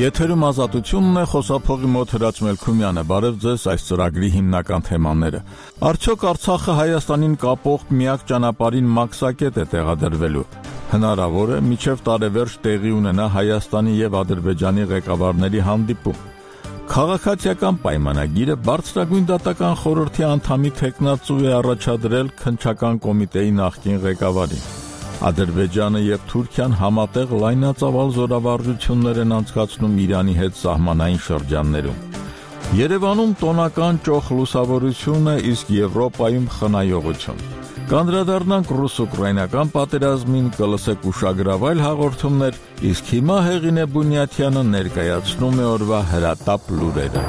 Եթերում ազատությունն է, խոսափողի մոտ Հրաչ Մելքումյանը, բարև ձեզ, այս ծրագրի հիմնական թեմաները։ Արդյոք Արցախը Հայաստանին կապող միակ ճանապարհին մաքսակետ է տեղադրվելու։ Հնարավոր է մինչև տարեվերջ տեղի ունենա Հայաստանի եւ Ադրբեջանի ղեկավարների հանդիպում։ Քաղաքացիական պայմանագիրը բարձրագույն դատական խորհրդի անդամի թեկնածու է առաջադրել քննչական կոմիտեի նախկին ղեկավարին։ Ադրբեջանը եւ Թուրքիան համատեղ լայնածավալ զորավարժություններ են անցկացնում Իրանի հետ սահմանային շրջաններում։ Երևանում տոնական ճոխ լուսավորություն է, իսկ Եվրոպայում խնայողություն։ Կանդրադառնանք ռուս-ուկրաինական պատերազմին, կլսեք ուշագրավայր հաղորդումներ, իսկ հիմա Հեղինե Բունյաթյանը ներկայացնում է օրվա հրատապ լուրերը։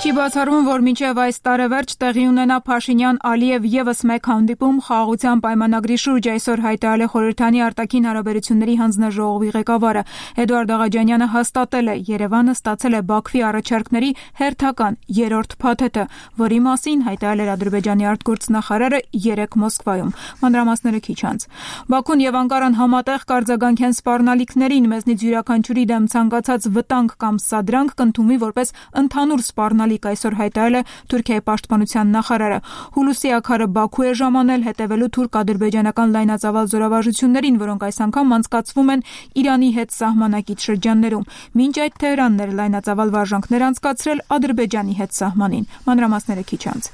Չի բացառվում, որ մինչև այս տարեվերջ տեղի ունենա Փաշինյան-Ալիև եւս մեկ հանդիպում խաղաղության պայմանագրի շուրջ, այսօր հայտարարել է Խորհրդանի արտաքին հարաբերությունների հանձնաժողովի ղեկավարը Էդուարդ Աղաջանյանը հաստատել է, Երևանը ստացել է Բաքվի առաջարկների հերթական երրորդ փաթեթը, որի մասին հայտարարել էր Ադրբեջանի արտգործնախարարը 3 Մոսկվայում։ Մանրամասները քիչ անց։ Բաքուն եւ Անկարան համատեղ կարձագանքեն սպառնալիքներին, մեզնից յուրաքանչյուրի դեմ ցանկացած վտանգ կամ սադրանք կընդունվի որպես ընդհանուր սպառնալիք, այսօր հայտարարել է Թուրքիայի պաշտպանության նախարարը։ Հուլուսի ակարը Բաքու է ժամանել հետևելու թուրք-ադրբեջանական լայնածավալ զորավարժություններին, որոնք այս անգամ անցկացվում են Իրանի հետ սահմանակից շրջաններում։ Մինչ այդ Թեհրանն էր լայնածավալ վարժանքներ անցկացրել Ադրբեջանի հետ սահմանին։ Մանրամասները քիչ անց։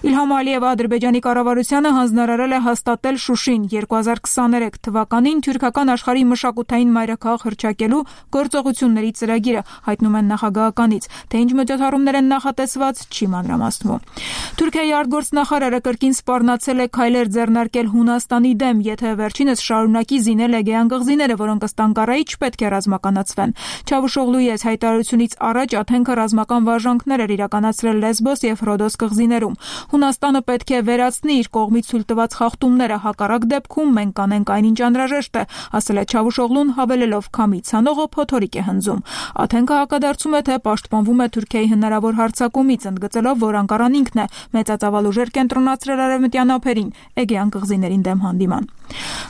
Իլհամ Ալիևը Ադրբեջանի կառավարությանը հանձնարարել է հաստատել Շուշին 2023 թվականին թուրքական աշխարհի մշակութային մայրաքաղաք հռչակելու գործողությունների ծրագիրը, հայտնում են նախագահականից, թե ինչ միջոցառումներ են նախատեսված, չի մանրամասնում։ Թուրքիայի արտգործնախարարը կրկին սպառնացել է քայլեր ձեռնարկել Հունաստանի դեմ, եթե վերջինս շարունակի զինել Էգեյան կղզիները, որոնք ըստ Անկարայի չպետք է ռազմականացվեն։ Չավուշօղլուի այս հայտարարությունից առաջ Աթենքը ռազմական վարժանքներ էր իրականացրել Լեսբոս եւ Ռոդոս կղզիներում։ Հունաստանը պետք է վերացնի իր կողմից ցույց տված խախտումները, հակառակ դեպքում մենք կանենք այնինչ անհրաժեշտ է, ասել է Չավուշօղլուն, հավելելով քամի ցանողը փոթորիկ է հնձում։ Աթենքը հակադարձում է, թե պաշտպանվում է Թուրքիայի հնարավոր հարձակումից, ընդգծելով, որ Անկարան ինքն է մեծածավալ ուժեր կենտրոնացրել արևմտյան ափերին Էգեյան կղզիներին դեմ հանդիման։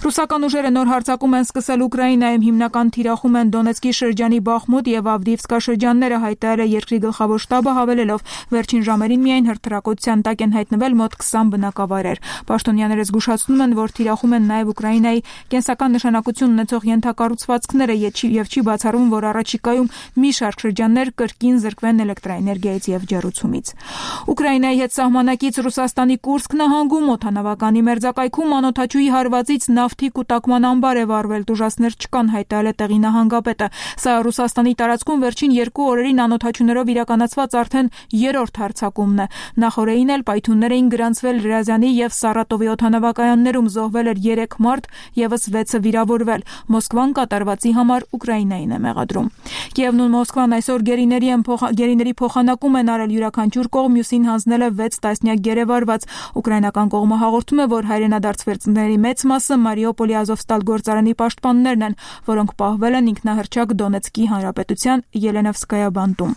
Ռուսական ուժերը նոր հարձակում են սկսել Ուկրաինայում, հիմնական թիրախում են Դոնեցկի շրջանի Բախմուտ եւ Ավդիիվկա շրջանները, հայտարարել է երկրի գլխավոր շտաբը, հավելելով, վերջին ժամերին միայն հրթիռակոծության տակ են հայտնվել մոտ 20 բնակավայրեր։ Պաշտոնյաները զգուշացնում են, որ թիրախում են նաեւ Ուկրաինայի կենսական նշանակություն ունեցող ենթակառուցվածքները եւ չի բացառվում, որ առաջիկայում մի շարք շրջաններ կրկին զրկվեն էլեկտրաէներգիայից եւ ջեռուցումից։ Ուկրաինայի հետ սահմանակից Ռուսաստանի Կուրսկ նահանգում օդանավականի մերձակայքում անօդաչուի հարվածից նավթի կուտակման ամբար է վառվել, տուժածներ չկան, հայտարարել է տեղի նահանգապետը։ Սա Ռուսաստանի տարածքում վերջին 2 օրերին անօդաչուներով իրականացված արդեն երրորդ հարձակումն է։ Նախորդին էլ պայթյուններ էին գրանցվել Ռիազանի եւ Սարատովի օդանավակայաններում, զոհվել էր 3 մարդ, եւս 6-ը վիրավորվել։ Մոսկվան կատարվածի համար Ուկրաինային է մեղադրում։ Կիևն ու Մոսկվան այսօր գերիների փոխանակում են արել, յուրաքանչյուր կողմ մյուսին հանձնել է 6 տասնյակ գերեվարված։ Ուկրաինական կողմը հաղորդում է, որ հայրենադարձվեցների մեծ մասը Մարիուպոլի Ազովստալ գործարանի պաշտպաններն են, որոնք պահվել են ինքնահռչակ Դոնեցկի հանրապետության Ելենովսկայա բանտում։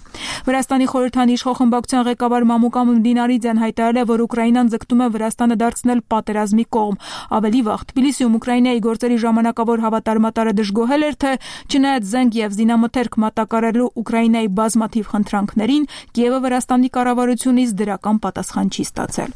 Վրաստանի խորհրդանի իշխող խմբակցության ղեկավար Մամուկա Մդինարիձեն հայտարարել է, որ Ուկրաինան ձգտում է Վրաստանը դարձնել պատերազմի կողմ։ Ավելի վաղ Թբիլիսիում Ուկրաինայի գործերի ժամանակավոր հավատարմատարը դժգոհել էր, թե չնայած զենք եւ զինամթերք մատակարարելու Ուկրաինայի բազմաթիվ խնդրանքներին, Կիևը Վրաստանի կառավարությունից դրական պատասխան չի ստացել։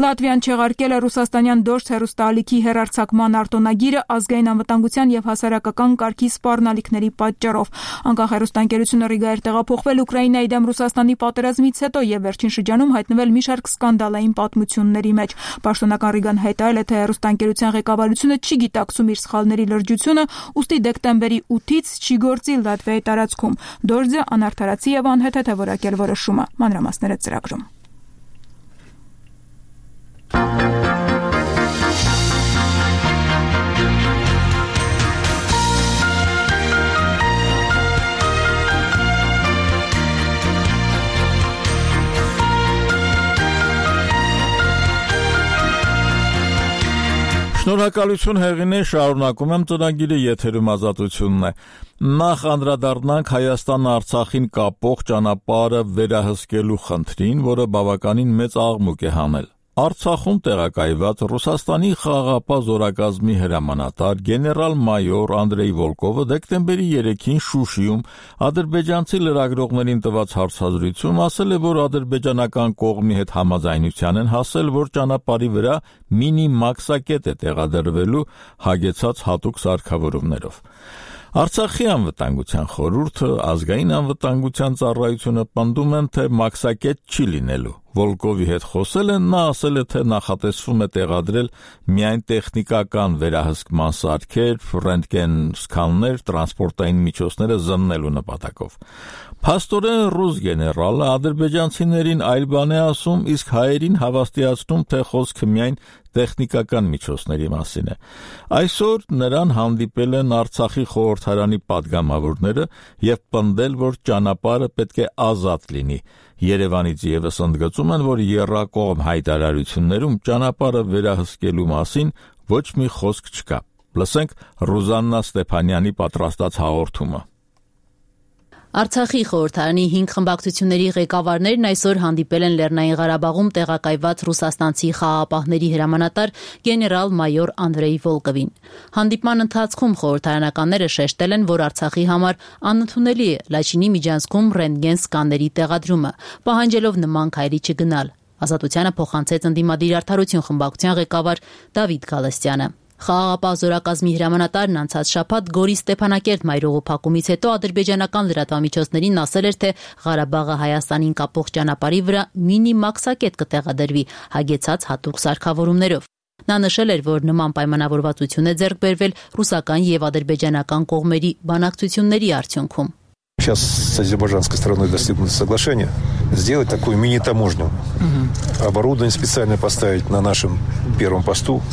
Լատվիան չեղարկել է ռուսաստանյան Դոշտ հեռուստաալիքի հեռարձակման արտոնագիրը ազգային անվտանգության եւ հասարակական կարգի սպառնալիքների պատճառով։ Անկախ հեռուստաընկերությունը Ռիգայր տեղափոխվել Ուկրաինայի դեմ Ռուսաստանի պատերազմից հետո եւ վերջին շրջանում հայտնվել մի շարք սկանդալային պատմությունների մեջ։ Պաշտոնական Ռիգան հայտարարել է, թե հեռուստաընկերության ղեկավարությունը չի գիտակցում իր սխալների լրջությունը, ուստի դեկտեմբերի 8-ից չի գործի Լատվիայի տարածքում։ Դորձը անարդարացի եւ անհեթեթ է որակել որոշումը։ Մանրամասները ծրագրում։ Շնորհակալություն Հեղինե, շարունակում եմ ծրագիրը, եթերում ազատությունն է։ Նախ անդրադառնանք Հայաստանը Արցախին կապող ճանապարհը վերահսկելու խնդրին, որը բավականին մեծ աղմուկ է հանել։ Արցախում տեղակայված Ռուսաստանի խաղաղապահ զորակազմի հրամանատար գեներալ-մայոր Անդրեյ Վոլկովը դեկտեմբերի 3-ին Շուշիում ադրբեջանցի լրագրողներին տված հարցազրույցում ասել է, որ ադրբեջանական կողմի հետ համաձայնության են հասել, որ ճանապարհի վրա մինի մաքսակետ է տեղադրվելու հագեցած հատուկ սարքավորումներով։ Արցախի անվտանգության խորհուրդը, ազգային անվտանգության ծառայությունը պնդում են, թե մաքսակետ չի լինելու։ Վոլկովի հետ խոսել են, նա ասել է, թե նախատեսվում է տեղադրել միայն տեխնիկական վերահսկման սարքեր, ռենտգեն սքաններ, տրանսպորտային միջոցները զննելու նպատակով։ Փաստորեն ռուս գեներալը ադրբեջանցիներին այլ բան է ասում, իսկ հայերին հավաստիացնում, թե խոսքը միայն տեխնիկական միջոցների մասին է։ Այսօր նրան հանդիպել են Արցախի խորհրդարանի պատգամավորները եւ պնդել, որ ճանապարհը պետք է ազատ լինի։ Երևանից եւս ընդգծում են, որ եռակողմ հայտարարություններում ճանապարհը վերահսկելու մասին ոչ մի խոսք չկա։ Լսենք Ռուզաննա Ստեփանյանի պատրաստած հաղորդումը։ Արցախի խորհրդարանի 5 խմբակցությունների ղեկավարներն այսօր հանդիպել են Լեռնային Ղարաբաղում տեղակայված ռուսաստանցի խաղաղապահների հրամանատար գեներալ-մայոր Անդրեյ Վոլկովին։ Հանդիպման ընթացքում խորհրդարանականները շեշտել են, որ Արցախի համար անընդունելի է Լաչինի միջանցքում ռենտգեն սկաների տեղադրումը, պահանջելով նման քայլի չգնալ։ Ազատությանը փոխանցեց ընդդիմադիր արդարություն խմբակցության ղեկավար Դավիթ Գալստյանը։ Խաղաղապահ զորակազմի հրամանատարն անցած շաբաթ Գորի Ստեփանակերտ մայրուղու փակումից հետո ադրբեջանական լրատվամիջոցներին ասել էր, թե Ղարաբաղը Հայաստանին կապող ճանապարհի վրա մինի մաքսակետ կտեղադրվի հագեցած հատուկ սարքավորումներով։ Նա նշել էր, որ նման պայմանավորվածություն է ձեռք բերվել ռուսական եւ ադրբեջանական կողմերի բանակցությունների արդյունքում։ Сейчас с азербайджанской стороной достигнуто соглашение сделать такую мини-таможню. Оборудование специально поставить на нашем первом посту.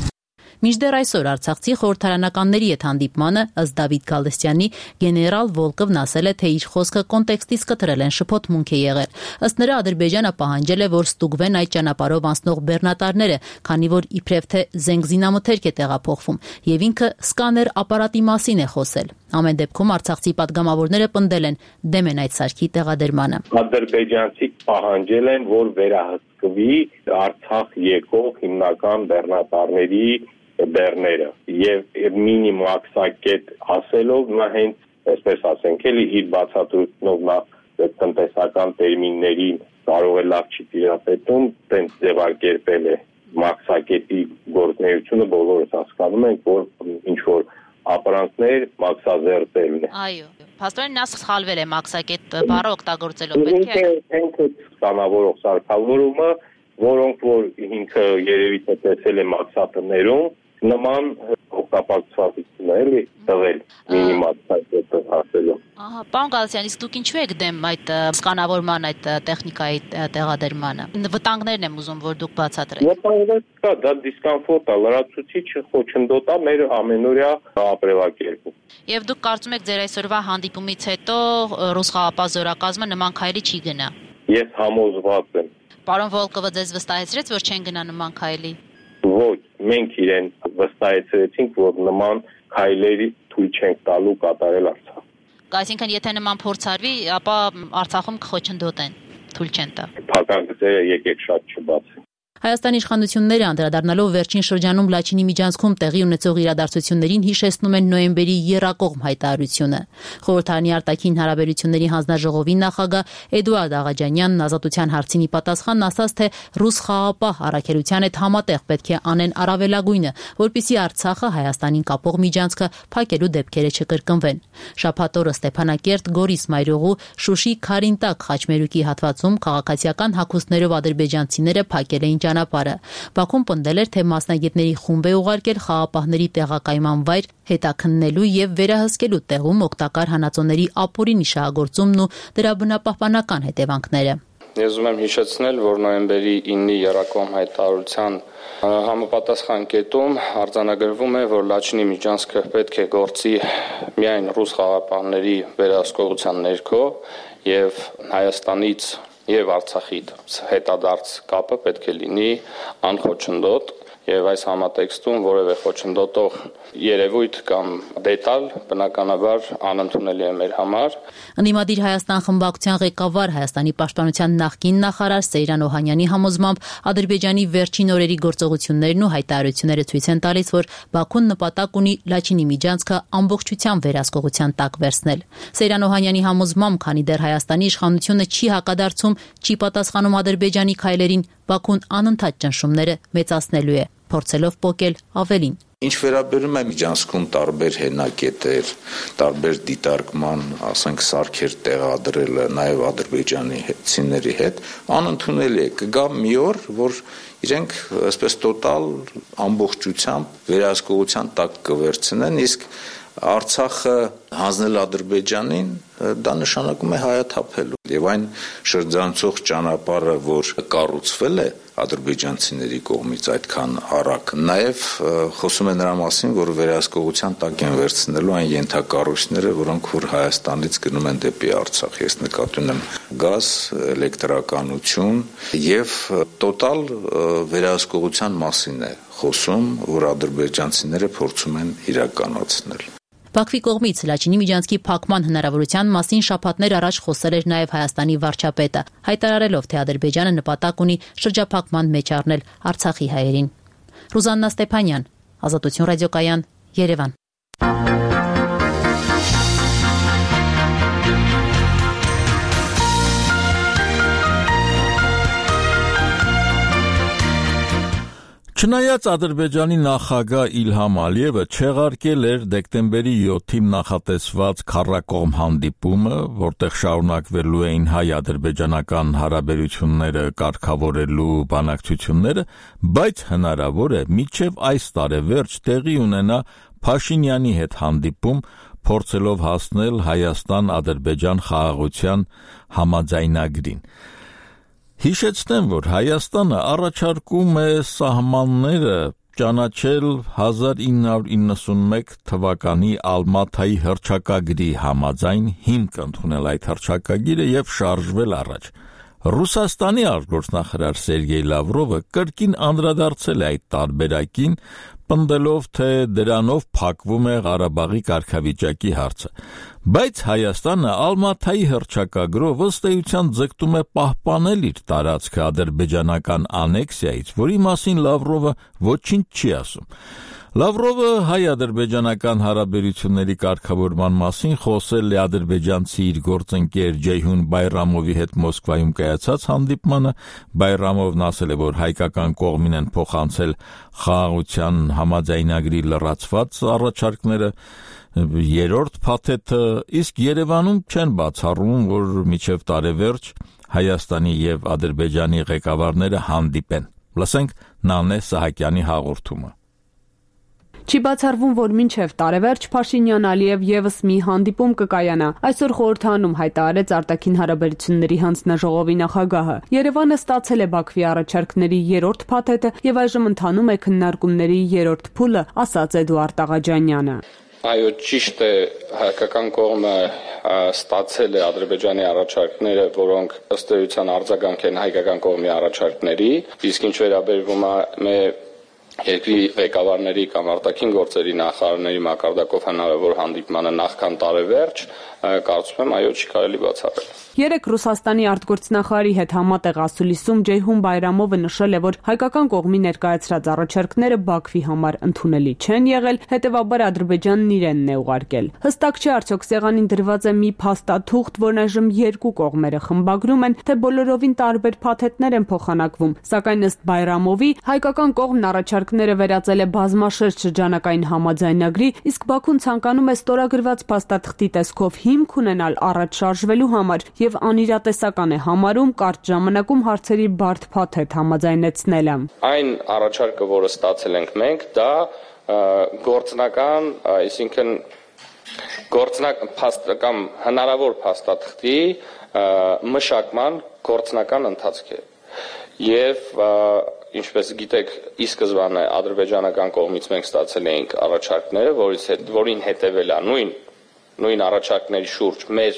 Մինչդեռ այսօր Արցախցի խորհրդարանականների հետ հանդիպմանը ըստ Դավիթ Գալստյանի գեներալ Վոլկովն ասել է, թե իր խոսքը կոնտեքստից կտրել են շփոթմունք է եղել։ Ըստ նրա Ադրբեջանը պահանջել է, որ ստուգվեն այդ ճանապարհով անցնող բեռնատարները, քանի որ իբրև թե զենգզինամթերք է տեղափոխվում, եւ ինքը սկաներ ապարատի մասին է խոսել։ Ամեն դեպքում արցախցի պատգամավորները պնդել են դեմ են այդ սարքի տեղադրմանը։ Ադրբեջանցիք պահանջել են, որ վերահսկվի Արցախ եկող հիմնական բեռնատարների բեռները եւ մինի մաքսակետ ասելով նա հենց այսպես ասենք էլի իր բացատրությունով նա տնտեսական տերմիններին կարող է լավ չի տիրապետում, տենց ձևակերպել է մաքսակետի գործունեությունը բոլորս հասկանում ենք, որ ինչ որ ապրանքներ մաքսազերծելն է։ Այո, փաստորեն նա սխալվել է մաքսակետ բառը օգտագործելով, պետք է ինքը կանավորող սարքավորումը, որոնք որ ինքը երևի թե տեսել է մաքսատներում նման օգտագործվածություն է էլի տվել մինիմալ հասելով։ Ահա, պարոն Գալստյան, իսկ դուք ինչու եք դեմ այդ սկանավորման, այդ տեխնիկայի տեղադրմանը։ Վտանգներն եմ ուզում, որ դուք բացատրեք։ Վտանգներ կա, դա դիսկոմֆորտ է, լրացուցիչ խոչընդոտ է մեր ամենօրյա ապրելակերպում։ Եվ դուք կարծում եք ձեր այսօրվա հանդիպումից հետո ռուս խաղաղապահ զորակազմը նման քայլի չի գնա։ Ես համոզված եմ։ Պարոն Վոլկովը ձեզ վստահեցրեց, որ չեն գնա նման քայլի։ Ոչ, մենք իրեն վստահեցրեցինք, որ նման քայլերի թույլ չենք տալու կատարել Արցախ։ Այսինքն, եթե նման փորձ արվի, ապա Արցախում կխոչընդոտեն, թույլ չեն տա։ Փակագծերը եկեք շատ չբացեն։ Հայաստանի իշխանությունները անդրադառնալով վերջին շրջանում Լաչինի միջանցքում տեղի ունեցող իրադարձություններին հիշեցնում են նոյեմբերի եռակողմ հայտարարությունը։ Խորհրդարանի արտաքին հարաբերությունների հանձնաժողովի նախագահ Էդուարդ Աղաջանյանն ազատության հարցին ի պատասխան ասաց, թե ռուս խաղաղապահ առաքելության հետ համատեղ պետք է անեն առավելագույնը, որպեսզի Արցախը Հայաստանին կապող միջանցքը փակելու դեպքերը չկրկնվեն։ Շաբաթ օրը Ստեփանակերտ, Գորիս մայրուղու, Շուշի Քարինտակ խաչմերուկի հատվածում քաղաքացիական հագուստներով ադրբեջանցիները փակել էին ճանապարհը։ Բաքուն պնդել էր, թե մասնագետների խումբ է ուղարկել խաղաղապահների տեղակայման վայր հետաքննելու եւ վերահսկելու տեղում օգտակար հանածոների ապօրինի շահագործումն ու դրա բնապահպանական հետևանքները։ Ես ուզում եմ հիշեցնել, որ նոյեմբերի 9-ի եռակողմ հայտարարության համապատասխան կետում արձանագրվում է, որ Լաչինի միջանցքը պետք է գործի միայն ռուս խաղաղապահների վերահսկողության ներքո եւ Հայաստանից եւ Արցախի հետադարձ կապը պետք է լինի անխոչնդոտ եւ այս համատեքստում որևէ խոչընդոտող երևույթ կամ դետալ բնականաբար անընդունելի է մեր համար։ Ընդդիմադիր Հայաստան խմբակցության ղեկավար Հայաստանի պաշտպանության նախկին նախարար Սեյրան Օհանյանի համոզմամբ Ադրբեջանի վերջին օրերի գործողություններն ու հայտարարությունները ցույց են տալիս, որ Բաքուն նպատակ ունի Լաչինի միջանցքը ամբողջությամբ վերահսկողության տակ վերցնել։ Սեյրան Օհանյանի համոզմամբ, քանի դեռ Հայաստանի իշխանությունը չի հակադարձում, չի պատասխանում Ադրբեջանի քայլերին, Բաքուն անընդհատ ճնշումները մեծացնելու է, փորձելով պոկել ավելին։ Ինչ վերաբերում է միջանցքում տարբեր հենակետեր, տարբեր դիտարկման, ասենք սարքեր տեղադրելը, նաև ադրբեջանի հետցիների հետ, անընդունելի է, կգա մի օր, որ իրենք այսպես տոտալ ամբողջությամբ վերահսկողության տակ կվերցնեն, իսկ Արցախը հանձնել Ադրբեջանին դա նշանակում է հայաթափելու եւ այն շրջանցող ճանապարհը, որ կառուցվել է ադրբեջանցիների կողմից այդքան արագ, նաեւ խոսում է նրա մասին, որ վերահսկողության տակ են վերցնելու այն ենթակառույցները, որոնք որ Հայաստանից գնում են դեպի Արցախ։ Ես նկատի ունեմ գազ, էլեկտրականություն եւ տոտալ վերահսկողության մասին է խոսում, որ ադրբեջանցիները փորձում են իրականացնել։ Բաքվի կողմից Լաչինի միջանցքի փակման հնարավորության մասին շաբաթներ առաջ խոսել էր նաև Հայաստանի վարչապետը, հայտարարելով, թե Ադրբեջանը նպատակ ունի շրջափակման մեջ առնել Արցախի հայերին։ Ռուզաննա Ստեփանյան, Ազատություն ռադիոկայան, Երևան։ Չնայած Ադրբեջանի նախագահ Իլհամ Ալիևը չեղարկել էր դեկտեմբերի 7-ին նախատեսված քառակողմ հանդիպումը, որտեղ շարունակվելու էին հայ-ադրբեջանական հարաբերությունները կարգավորելու բանակցությունները, բայց հնարավոր է մինչև այս տարեվերջ տեղի ունենա Փաշինյանի հետ հանդիպում, փորձելով հասնել Հայաստան-Ադրբեջան խաղաղության համաձայնագրին։ Հիշեցնեմ, որ Հայաստանը առաջարկում է սահմանները ճանաչել 1991 թվականի Ալմաթայի հռչակագրի համաձայն հիմք ընդունել այդ հռչակագիրը եւ շարժվել առաջ։ Ռուսաստանի արտգործնախարար Սերգեյ Լավրովը կրկին անդրադարձել է այդ տարբերակին, պնդելով, թե դրանով փակվում է Ղարաբաղի կարգավիճակի հարցը։ Բայց Հայաստանը Ալմաթայի հռչակագրով ըստ էության ձգտում է պահպանել իր տարածքը ադրբեջանական անեքսիայից, որի մասին Լավրովը ոչինչ չի ասում։ Լավրովը հայ-ադրբեջանական հարաբերությունների կարգավորման մասին խոսել է ադրբեջանցի իր գործընկեր Ջեյհուն Բայրամովի հետ Մոսկվայում կայացած հանդիպմանը։ Բայրամովն ասել է, որ հայկական կողմին են փոխանցել խաղաղության համաձայնագրի լրացված առաջարկները, երրորդ փաթեթը, իսկ Երևանում չեն բացառում, որ մինչև տարեվերջ Հայաստանի եւ Ադրբեջանի ղեկավարները հանդիպեն։ Լսենք Նանե Սահակյանի հաղորդումը։ Չի բացառվում, որ մինչև տարեվերջ Փաշինյան-Ալիև եւս մի հանդիպում կկայանա։ Այսօր խորհրդանում հայտարարեց արտաքին հարաբերությունների հանձնաժողովի նախագահը։ Երևանը ստացել է Բաքվի առաջարկների երրորդ փաթեթը եւ այժմ ընթանում է քննարկումների երրորդ փուլը, ասաց Էդուարդ Աղաջանյանը։ Այո, ճիշտ է, հայկական կողմը ստացել է Ադրբեջանի առաջարկները, որոնք ըստ էության արձագանք են հայկական կողմի առաջարկների, իսկ ինչ վերաբերվում է երկրի ղեկավարների կամ արտաքին գործերի նախարարների մակարդակով հնարավոր հանդիպմանը նախքան տարեվերջ, կարծում եմ, այո, չի կարելի բացառել։ Երեկ Ռուսաստանի արտգործնախարարի հետ համատեղ ասուլիսում Ջեյհուն Բայրամովը նշել է, որ հայկական կողմի ներկայացրած առաջարկները Բաքվի համար ընդունելի չեն եղել, հետևաբար Ադրբեջանն իրենն է ուղարկել։ Հստակ չէ արդյոք սեղանին դրված է մի փաստաթուղթ, որն այժմ երկու կողմերը խմբագրում են, թե բոլորովին տարբեր փաթեթներ են փոխանակվում, սակայն ըստ Բայրամովի հայկական կողմն առաջարկները վերածել է բազմաշերտ շրջանակային համաձայնագրի, իսկ Բաքուն ցանկանում է ստորագրված փաստաթղթի տեսքով հիմք ունենալ առաջ շարժվելու համար եւ անիրատեսական է համարում կարճ ժամանակում հարցերի բարդ փաթեթ համաձայնեցնելը։ Այն առաջարկը, որը ստացել ենք մենք, դա գործնական, այսինքն գործնական հնարավոր փաստաթղթի մշակման գործնական ընթացք է։ Եվ ինչպես գիտեք, ի սկզբանե ադրբեջանական կողմից մենք ստացել էինք առաջարկները, որին հետևել է նույն առաջարկների շուրջ մեր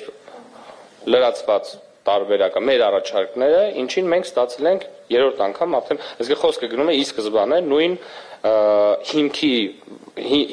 լրացված տարբերակը, մեր առաջարկները, ինչին մենք ստացել ենք երրորդ անգամ արդեն, այսինքն խոսքը գնում է ի սկզբանե նույն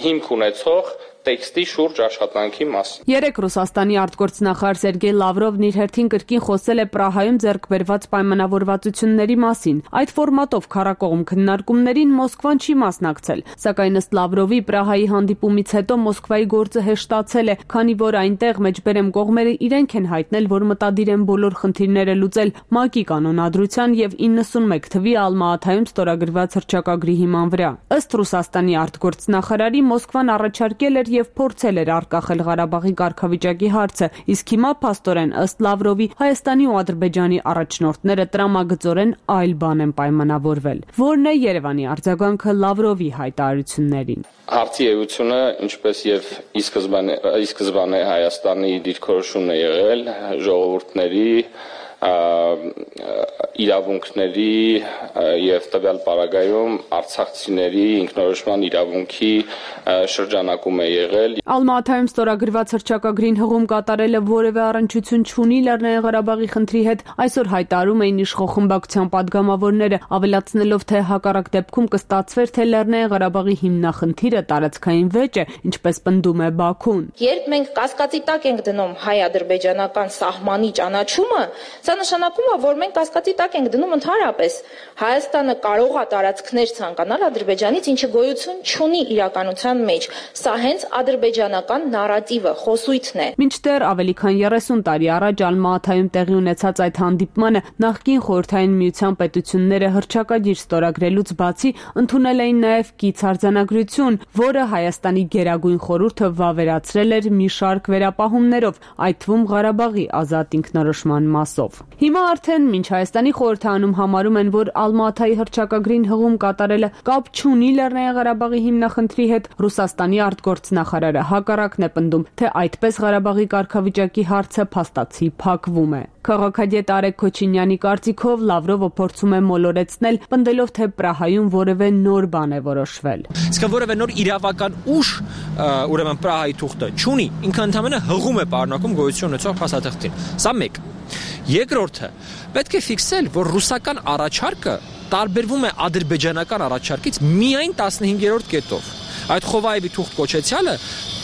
հիմք ունեցող տեքստի շուրջ աշխատանքի մասին։ Երեկ Ռուսաստանի արտգործնախարար Սերգեյ Լավրովն իր հերթին կրկին խոսել է Պրահայում ձեռք բերված պայմանավորվածությունների մասին։ Այդ ֆորմատով քառակողմ քննարկումներին Մոսկվան չի մասնակցել, սակայն ըստ Լավրովի Պրահայի հանդիպումից հետո Մոսկվայի գործը հեշտացել է, քանի որ այնտեղ մեջբերեմ կողմերը իրենք են հայտնել, որ մտադիր են բոլոր խնդիրները լուծել ՄԱԿ-ի կանոնադրության եւ 91 թվի Ալմա-Աթայում ստորագրված հռչակագրի հիման վրա։ Ըստ Ռուսաստանի արտգործնախարարի Մոսկվան առաջարկել էր եւ փորձել էր արկախել Ղարաբաղի կարգավիճակի հարցը, իսկ հիմա փաստորեն ըստ Լավրովի Հայաստանի ու Ադրբեջանի առաջնորդները տրամագծորեն այլ բան են պայմանավորվել։ Որն է Երևանի արձագանքը Լավրովի հայտարարություններին։ Հարցի էությունը, ինչպես եւ ի սկզբանե Հայաստանի դիրքորոշումն է եղել ժողովուրդների իրավունքների եւ տվյալ պարագայում արցախցիների ինքնորոշման իրավունքի շրջանակում է եղել։ Ալմա-Աթայում ստորագրված հռչակագրին հղում կատարելը որևէ առնչություն չունի Լեռնային Ղարաբաղի խնդրի հետ, այսօր հայտարարում էին իշխող խմբակցության падգամավորները, ավելացնելով, թե հակառակ դեպքում կստացվեր, թե Լեռնային Ղարաբաղի հիմնախնդիրը տարածքային վեճ է, ինչպես պնդում է Բաքուն։ Երբ մենք կասկածի տակ ենք դնում հայ-ադրբեջանական սահմանի ճանաչումը, սա նշանակում է, որ մենք կասկածի տակ ենք դնում ընդհանրապես Հայաստանը կարող է տարածքներ ցանկանալ Ադրբեջանից, ինչը գոյություն չունի իրականության մեջ։ Սա հենց ադրբեջանական նարատիվը, խոսույթն է։ Մինչդեռ ավելի քան 30 տարի առաջ Ալմա-Աթայում տեղի ունեցած այդ հանդիպմանը նախկին Խորհրդային Միության պետությունները հռչակագիր ստորագրելուց բացի ընդունել էին նաև կից արձանագրություն, որը Հայաստանի Գերագույն խորհուրդը վավերացրել էր մի շարք վերապահումներով, այդ թվում Ղարաբաղի ազատ ինքնորոշման մասով։ Հիմա արդեն մինչ Հայաստանի խորհրդարանում համարում են, որ Ալմա-Աթայի հռչակագրին հղում կատարելը կապ չունի Լեռնային Ղարաբաղի հիմնախնդրի հետ, Ռուսաստանի արտգործնախարարը հակառակն է պնդում, թե այդպես Ղարաբաղի կարգավիճակի հարցը փաստացի փակվում է։ Քաղաքագետ Արեգ Քոչինյանի կարծիքով Լավրովը փորձում է մոլորեցնել, պնդելով, թե Պրահայում որևէ նոր բան է որոշվել։ Իսկ որևէ նոր իրավական ուժ, ուրեմն Պրահայի թուղթը չունի, ինքը ընդհանրապես հղում է պարունակում գոյություն ունեցող փաստաթղթին։ Սա մեկ։ Երկրորդը, պետք է ֆիքսել, որ ռուսական առաջարկը տարբերվում է ադրբեջանական առաջարկից միայն 15-րդ կետով։ Այդ Խովայևի թուղթ կոչեցյալը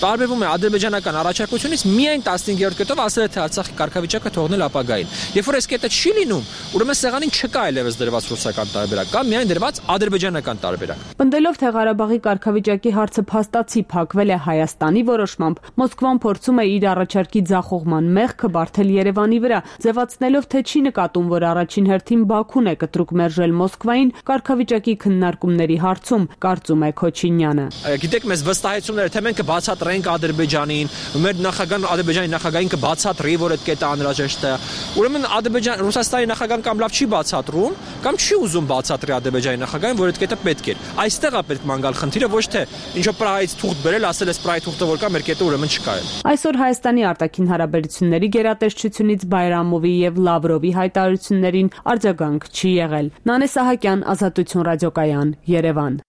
տարբերվում է ադրբեջանական առաջարկությունից միայն 15-րդ կետով, ասել է, թե Արցախի կարգավիճակը թողնել ապագային։ Երբ որ այս կետը չի լինում, ուրեմն սեղանին չկա այլևս դրված ռուսական տարբերակ, կա միայն դրված ադրբեջանական տարբերակ։ Պնդելով, թե Ղարաբաղի կարգավիճակի հարցը փաստացի փակվել է Հայաստանի որոշմամբ, Մոսկվան փորձում է իր առաջարկի ձախողման մեղքը բարթել Երևանի վրա, ձևացնելով, թե չի նկատում, որ առաջին հերթին Բաքուն է կտրուկ մերժել Մոսկվային կարգավիճակի քննարկումների հարցում, կարծում է Քոչինյանը։ Գիտեք, մեզ վստահեցումներ, թե մենք կբացատրենք Ադրբեջանին, մեր նախագահն Ադրբեջանի նախագահին կբացատրի, որ այդ կետը անհրաժեշտ է։ Ուրեմն Ռուսաստանի նախագահան կամ լավ չի բացատրում, կամ չի ուզում բացատրի Ադրբեջանի նախագահին, որ այդ կետը պետք է։ Այստեղ է պետք ման գալ խնդիրը, ոչ թե ինչո Պրահայից թուղթ բերել, ասել էս Պրահայի թուղթը որ կա, մեր կետը ուրեմն չկա։ Այսօր Հայաստանի արտաքին հարաբերությունների գերատեսչությունից Բայրամովի եւ Լավրովի հայտարարություններին արձագանք չի եղել։ Նանե Սահակյան, Ազատություն ռադիոկայան, Երևան։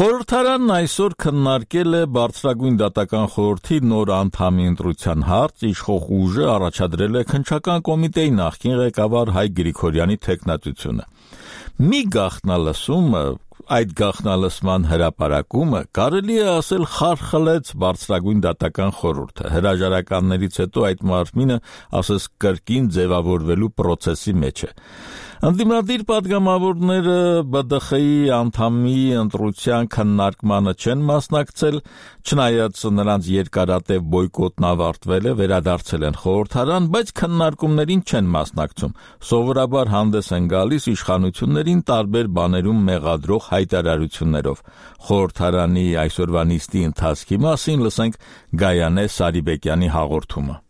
Խորհրդարանն այսօր քննարկել է Բարձրագույն դատական խորհրդի նոր անդամի ընտրության հարց, իշխող ուժը առաջադրել է քննչական կոմիտեի նախկին ղեկավար Հայ Գրիգորյանի թեկնածությունը։ Մի գաղտնալսումը, այդ գաղտնալսման հրապարակումը կարելի է ասել խարխլեց Բարձրագույն դատական խորհուրդը։ Հրաժարականներից հետո այդ մարմինը ասես կրկին ձևավորվելու process-ի մեջ է։ Ընդդիմադիր պատգամավորները ԲԴԽ-ի անդամի ընտրության քննարկմանը չեն մասնակցել, չնայած նրանց երկարատև բոյկոտն ավարտվել է, վերադարձել են խորհրդարան, բայց քննարկումներին չեն մասնակցում։ Սովորաբար հանդես են գալիս իշխանություններին տարբեր բաներում մեղադրող հայտարարություններով։ Խորհրդարանի այսօրվա նիստի ընթացքի մասին լսենք Գայանե Սարիբեկյանի հաղորդումը։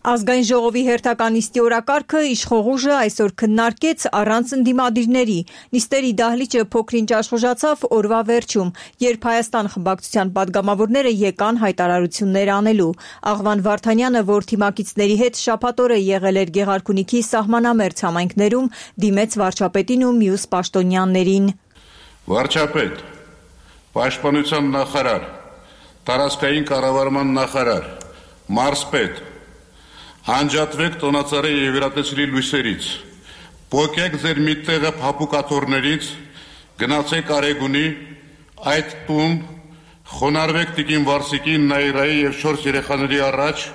Ազգային ժողովի հերթական նիստի օրակարգը իշխող ուժը այսօր քննարկեց առանց ընդդիմադիրների։ Նիստերի դահլիճը փոքրինչ աշխուժացավ օրվա վերջում, երբ Հայաստան խմբակցության падգամավորները եկան հայտարարություններ անելու։ Աղվան Վարդանյանը, որ թիմակիցների հետ շաբաթօրը եղել էր Գեղարքունիքի սահմանամերձ համայնքներում, դիմեց վարչապետին ու մյուս պաշտոնյաներին։ Վարչապետ, պաշտպանության նախարար, տարածքային կառավարման նախարար, մարզպետ, անջատվեք տոնածառի եւ վերատեսիլի լույսերից, փոկեք ձեր մի տեղը փափուկաթոռներից, գնացեք Արեգունի, այդ տուն, խոնարհվեք Տիկին Վարսիկի, Նայիրայի եւ 4 երեխաների առաջ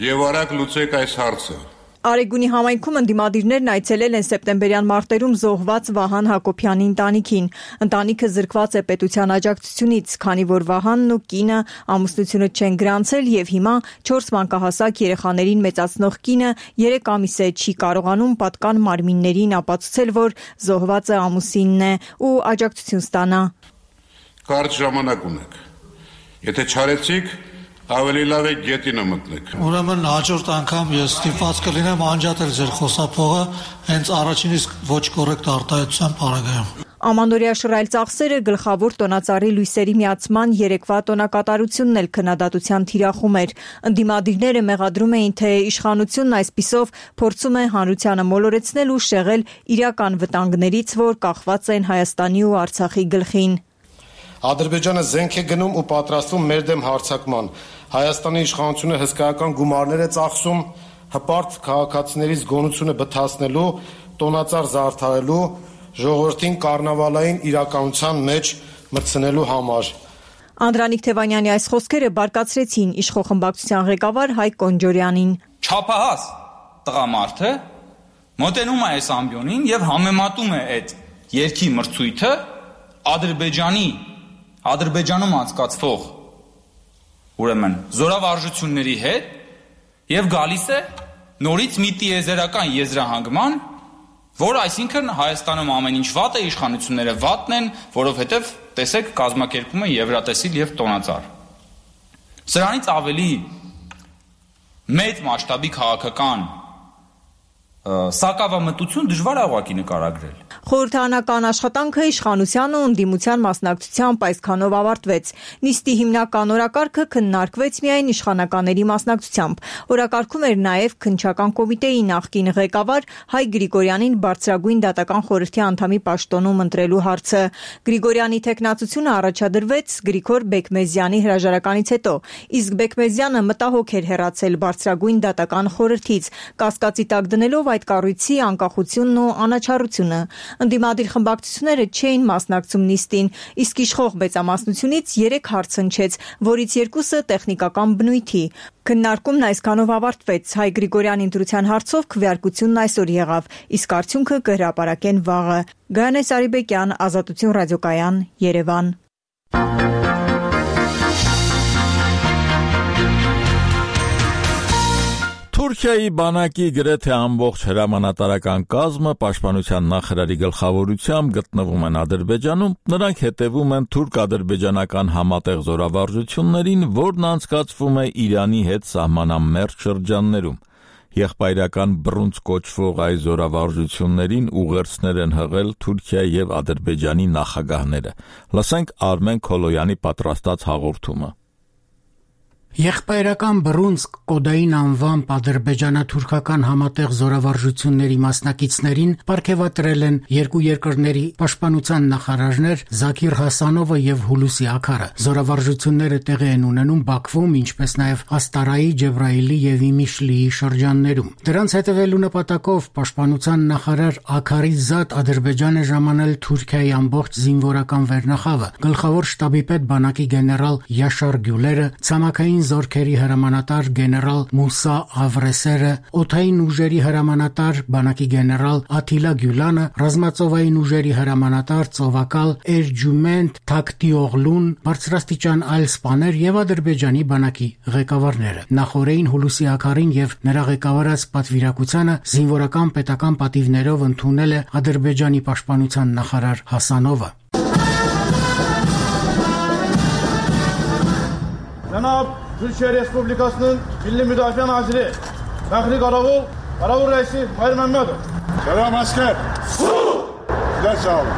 եւ արագ լուծեք այս հարցը։ Արեգունի համայնքում ընդդիմադիրներն այցելել են սեպտեմբերյան մարտերում զոհված Վահան Հակոբյանի ընտանիքին։ Ընտանիքը զրկված է պետության աջակցությունից, քանի որ Վահանն ու կինը ամուսնությունը չեն գրանցել եւ հիմա 4 մանկահասակ երեխաներին մեծացնող կինը 3 ամիս է չի կարողանում պատկան մարմիններին ապացուցել, որ զոհվածը ամուսինն է ու աջակցություն ստանա։ Կարճ ժամանակ ունեք։ Եթե չարեցիք, ավելի լավ է գետինը մտնեք։ Ուրեմն հաջորդ անգամ ես ստիպված կլինեմ անջատել ձեր խոսափողը հենց առաջինից ոչ կոռեկտ արտահայտության պարագայում։ Ամանորյա շռայլ ծախսերը գլխավոր տոնածառի լույսերի միացման երեկվա տոնակատարությունն էլ քննադատության թիրախում էր։ Ընդդիմադիրները մեղադրում էին, թե իշխանությունն այսպիսով փորձում է հանրությանը մոլորեցնել ու շեղել իրական վտանգներից, որ կախված են Հայաստանի ու Արցախի գլխին։ Ադրբեջանը զենք է գնում ու պատրաստվում մեր դեմ հարձակման։ Հայաստանի իշխանությունը հսկայական գումարներ է ծախսում հպարտ քաղաքացիներից գոնությունը բթացնելու, տոնածառ զարդարելու, ժողովրդին կառնավալային իրականության մեջ մտցնելու համար։ Անդրանիկ Թևանյանի այս խոսքերը բարկացրեցին իշխող խմբակցության ղեկավար Հայկ Կոնջորյանին։ Չափահաս տղամարդը մոտենում է այս ամբիոնին եւ համեմատում է այդ երկի մրցույթը Ադրբեջանում անցկացվող ուրեմն զորավարժությունների հետ եւ գալիս է նորից մի տիեզերական եզրահանգման, որ այսինքն Հայաստանում ամեն ինչ վատ է, իշխանությունները վատն են, որովհետեւ տեսեք կազմակերպում է Եվրատեսիլ եւ տոնածառ։ Սրանից ավելի մեծ մասշտաբի քաղաքական սակավամտություն դժվար է ուղղակի նկարագրել։ Խորհրդարանական աշխատանքը իշխանության ու ընդդիմության մասնակցությամբ այսքանով ավարտվեց։ Նիստի հիմնական օրակարգը քննարկվեց միայն իշխանականների մասնակցությամբ։ Օրակարգում էր նաև քննչական կոմիտեի նախկին ղեկավար Հայ Գրիգորյանին բարձրագույն դատական խորհրդի անդամի պաշտոնում ընտրելու հարցը։ Գրիգորյանի թեկնածությունը առաջադրվեց Գրիգոր Բեկմեզյանի հրաժարականից հետո, իսկ Բեկմեզյանը մտահոգ էր հեռացել բարձրագույն դատական խորհրդից, կասկածի տակ դնելով այդ կառույցի անկախությունն ու անաչառությունը։ Ընդդիմադիր խմբակցությունները չէին մասնակցում նիստին, իսկ իշխող մեծամասնությունից 3 հարց հնչեց, որից 2-ը տեխնիկական բնույթի։ Քննարկումն այսքանով ավարտվեց։ Հայ Գրիգորյանի ընտրության հարցով քվեարկությունն այսօր եղավ, իսկ արդյունքը կհրապարակեն վաղը։ Գայանե Սարիբեկյան, Ազատություն ռադիոկայան, Երևան։ Թուրքիայի բանակի գրեթե ամբողջ հրամանատարական կազմը պաշտպանության նախարարի գլխավորությամբ գտնվում են Ադրբեջանում, նրանք հետևում են թուրք-ադրբեջանական համատեղ զորավարժություններին, որն անցկացվում է Իրանի հետ սահմանամերձ շրջաններում։ Եղբայրական բռունց կոչվող այս զորավարժություններին ուղերձներ են հղել Թուրքիայի եւ Ադրբեջանի նախագահները։ Լսենք Արմեն Քոլոյանի պատրաստած հաղորդումը։ Եղբայրական բռունցք կոդային անվամբ ադրբեջանա-թուրքական համատեղ զորավարժությունների մասնակիցներին պարգևատրել են երկու երկրների պաշտպանության նախարարներ Զաքիր Հասանովը եւ Հուլուսի Աքարը։ Զորավարժությունները տեղի են ունենում Բաքվում, ինչպես նաեւ Աստարայի, Ջեբրայիլի եւ Իմիշլիի շրջաններում։ Դրանց հետևելու նպատակով պաշտպանության նախարար Աքարի զատ Ադրբեջան է ժամանել Թուրքիայի ամբողջ զինվորական վերնախավը։ Գլխավոր շտաբի պետ բանակի գեներալ Յաշար Գյուլերը, ցամաքային զորքերի հրամանատար գեներալ Մուսա Ավրեսերը, օդային ուժերի հրամանատար բանակի գեներալ Աթիլա Գյուլանը, ռազմածովային ուժերի հրամանատար ծովակալ Էրջումենտ Թակտիօղլուն, բարձրաստիճան այլ սպաներ եւ Ադրբեջանի բանակի ղեկավարները։ Նախորդին Հուլուսի Աքարին եւ նրա ղեկավարած պատվիրակությանը զինվորական պետական պատիվներով ընդունել է Ադրբեջանի պաշտպանության նախարար Հասանովը։ Cənab Türkiye Respublikasının Milli Müdafiə Naziri Նախնի Կարավուր ռեյսի Մայր Մեմմեդը։ Սելամ ասկեր։ Դեսավ։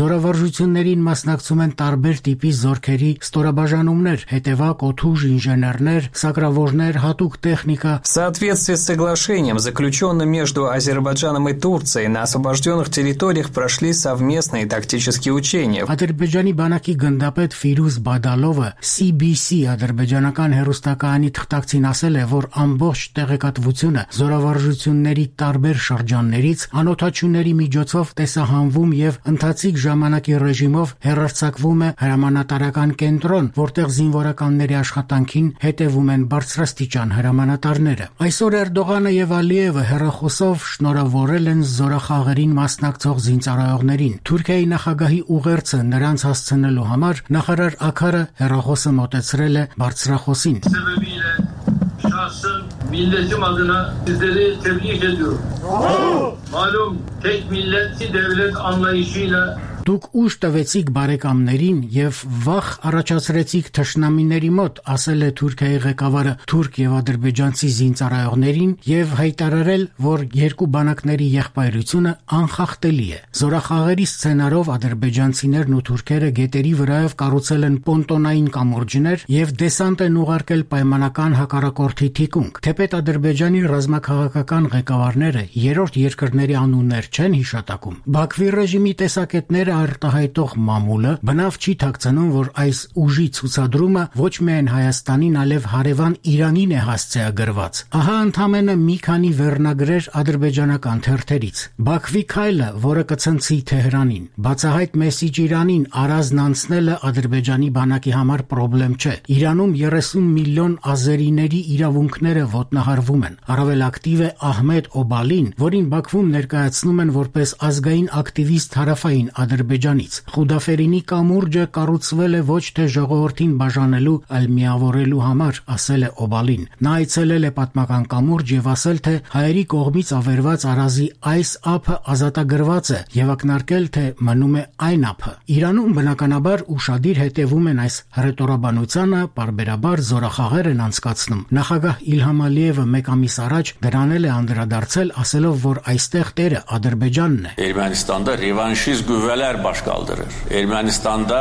Զորավարժություններին մասնակցում են տարբեր տիպի զորքերի ստորաբաժանումներ, հետևակ, օդուժ, ինժեներներ, սակրավորներ, հատուկ տեխնիկա։ В соответствии с соглашением, заключенным между Азербайджаном и Турцией, на освобожденных территориях прошли совместные тактические учения. Ադրբեջանի բանակի գնդապետ Ֆիրուզ Բադալովը CBC ադրբեջանական հեռուստակայանի թղթակցին ասել է, որ ամբողջ տեղեկատվությունը զորավարժությունների տարբեր շրջաններից անօթաչուների միջոցով տեսահանվում եւ ընթացիկ ժամանակի ռեժիմով հեռարձակվում է հրամանատարական կենտրոն, որտեղ զինվորականների աշխատանքին հետևում են բարձրաստիճան հրամանատարները։ Այսօր Էրդողանը եւ Ալիևը հեռախոսով շնորհավորել են զորախաղերին մասնակցող զինծառայողներին։ Թուրքիայի նախագահի ուղերձը նրանց հասցնելու համար նախարար Աքարը հեռախոսը մոտեցրել է բարձրախոսին։ Milletim adına sizleri tebrik ediyorum. Malum tek milletçi devlet anlayışıyla Դուք ուժ տվեցիք բարեկամներին եւ վախ առաջացրեցիք թշնամիների մոտ, ասել է Թուրքիայի ղեկավարը թուրք եւ ադրբեջանցի զինծառայողներին եւ հայտարարել, որ երկու բանակների եղբայրությունը անխախտելի է։ Զորախաղերի սցենարով ադրբեջանցիներն ու թուրքերը գետերի վրայով կառուցել են պոնտոնային կամուրջներ եւ դեսանտ են ուղարկել պայմանական հակառակորդի թիկունք։ Թեպետ Ադրբեջանի ռազմաքաղաքական ղեկավարները երրորդ երկրների անուններ չեն հիշատակում։ Բաքվի ռեժիմի տեսակետները արտահայտող մամուլը բնավ չի թաքցնում, որ այս ուժի ցուցադրումը ոչ միայն Հայաստանին, այլև հարևան Իրանին է հասցեագրված։ Ահա ընդամենը մի քանի վերնագրեր ադրբեջանական թերթերից։ Բաքվի քայլը, որը կցնցի Թեհրանին, բացահայտ մեսիջ Իրանին առանձն անցնելը Ադրբեջանի բանակի համար խնդրեմ չէ։ Իրանում 30 միլիոն ազերիների իրավունքները ոտնահարվում են։ Առավել ակտիվ է Ահմեդ Օբալին, որին Բաքվում ներկայացնում են որպես ազգային ակտիվիստ հարավային Ադրբեջանից։ Խուդաֆերինի կամուրջը կառուցվել է ոչ թե ժողովրդին բաժանելու, այլ միավորելու համար, ասել է Օբալին։ Նա այցելել է պատմական կամուրջ եւ ասել, թե հայերի կողմից ավերված արազի այս ափը ազատագրված է եւ ակնարկել, թե մնում է այն ափը։ Իրանում բնականաբար ուշադիր հետևում են այս հռետորաբանությանը, պարբերաբար զորախաղեր են անցկացնում։ Նախագահ Իլհամ Ալիևը մեկ ամիս առաջ դրանել է անդրադարձել, ասելով, որ այստեղ տերը Ադրբեջանն է։ Ermənistanda revanşist qüvvələr baş qaldırır. Ermənistanda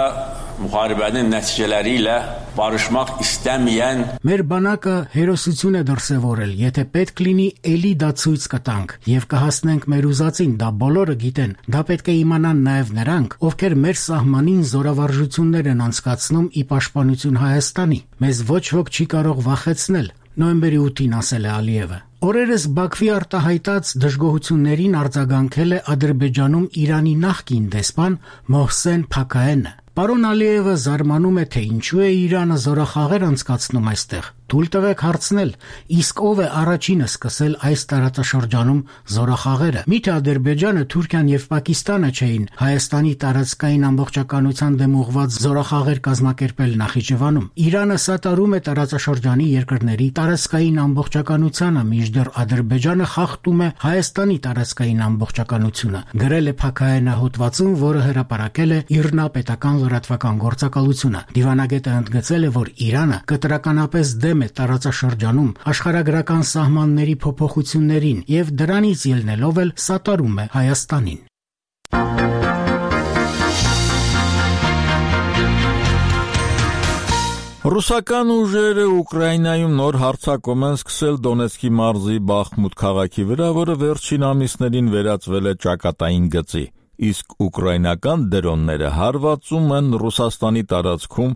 müharibənin nəticələri ilə barışmaq istəməyən Մեր բանակը հերոսություն է դրսևորել, եթե պետք լինի էլի դա ցույց կտանք եւ կհասնենք մեր ուզածին, դա բոլորը գիտեն, դա պետք է իմանան նաեւ նրանք, ովքեր մեր սահմանին զորավարժություններ են անցկացնում ի պաշտպանություն Հայաստանի։ Մեզ ոչ ոք չի կարող վախեցնել, նոյեմբերի 8-ին ասել է Ալիևը։ Օրերս Բաքվի արտահայտած դժգոհություններին արձագանքել է Ադրբեջանում Իրանի նախկին դեսպան Մոհսեն Փաքայենը։ Պարոն Ալիևը զարմանում է, թե ինչու է Իրանը զորախաղեր անցկացնում այստեղ։ Թույլ տվեք հարցնել, իսկ ով է առաջինը սկսել այս տարածաշրջանում զորախաղերը։ Միթե Ադրբեջանը, Թուրքիան եւ Պակիստանը չէին Հայաստանի տարածքային ամբողջականության դեմ ուղղված զորախաղեր կազմակերպել Նախիջևանում։ Իրանը սատարում է տարածաշրջանի երկրների տարածքային ամբողջականությանը, մինչդեռ Ադրբեջանը խախտում է Հայաստանի տարածքային ամբողջականությունը, գրել է Փաքայենը հոդվածում, որը հրապարակել է ԻՌՆԱ պետական լրատվական գործակալությունը։ Դիվանագետը ընդգծել է, որ Իրանը կտրականապես դեմ է տարածաշրջանում աշխարհագրական սահմանների փոփոխություններին եւ դրանից ելնելով էլ սատարում է Հայաստանին։ Ռուսական ուժերը Ուկրաինայում նոր հարձակում են սկսել Դոնեցկի մարզի Բախմուտ քաղաքի վրա, որը վերջին ամիսներին վերածվել է ճակատային գծի, իսկ ուկրաինական դրոնները հարվածում են Ռուսաստանի տարածքում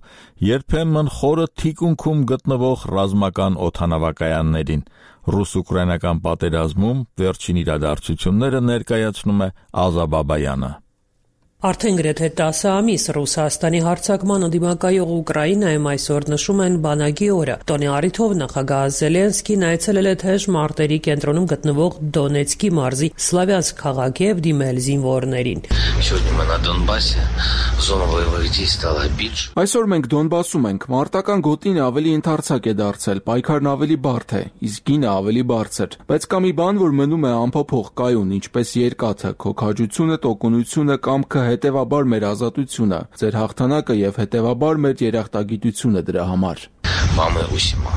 երբեմն խորը թիկունքում գտնվող ռազմական օդանավակայաններին։ Ռուս-ուկրաինական պատերազմում վերջին իրադարձությունները ներկայացնում է Ազա Բաբայանը։ Արդեն գրեթե 10 ամիս Ռուսաստանի հարձակման դիմակայող Ուկրաինայում այսօր նշում են բանակի օրը։ Տոնի առիթով նախագահ Զելենսկին այցելել է թեժ մարտերի կենտրոնում գտնվող Դոնեցկի մարզի Սլավյանսկ քաղաք եւ դիմել զինվորներին։ Այսօր մենք Դոնբասում ենք։ Մարտական գոտին ավելի ընդարձակ է դարձել, պայքարն ավելի բարդ է, իսկ գինը ավելի բարձր։ Բայց կա մի բան, որ մնում է անփոփոխ կայուն, ինչպես երկաթը, քո քաջությունը, տոկունությունը, կամքը, հետևաբար մեր ազատությունը, ձեր հաղթանակը եւ հետևաբար մեր երախտագիտությունը դրա համար։ мамы усима.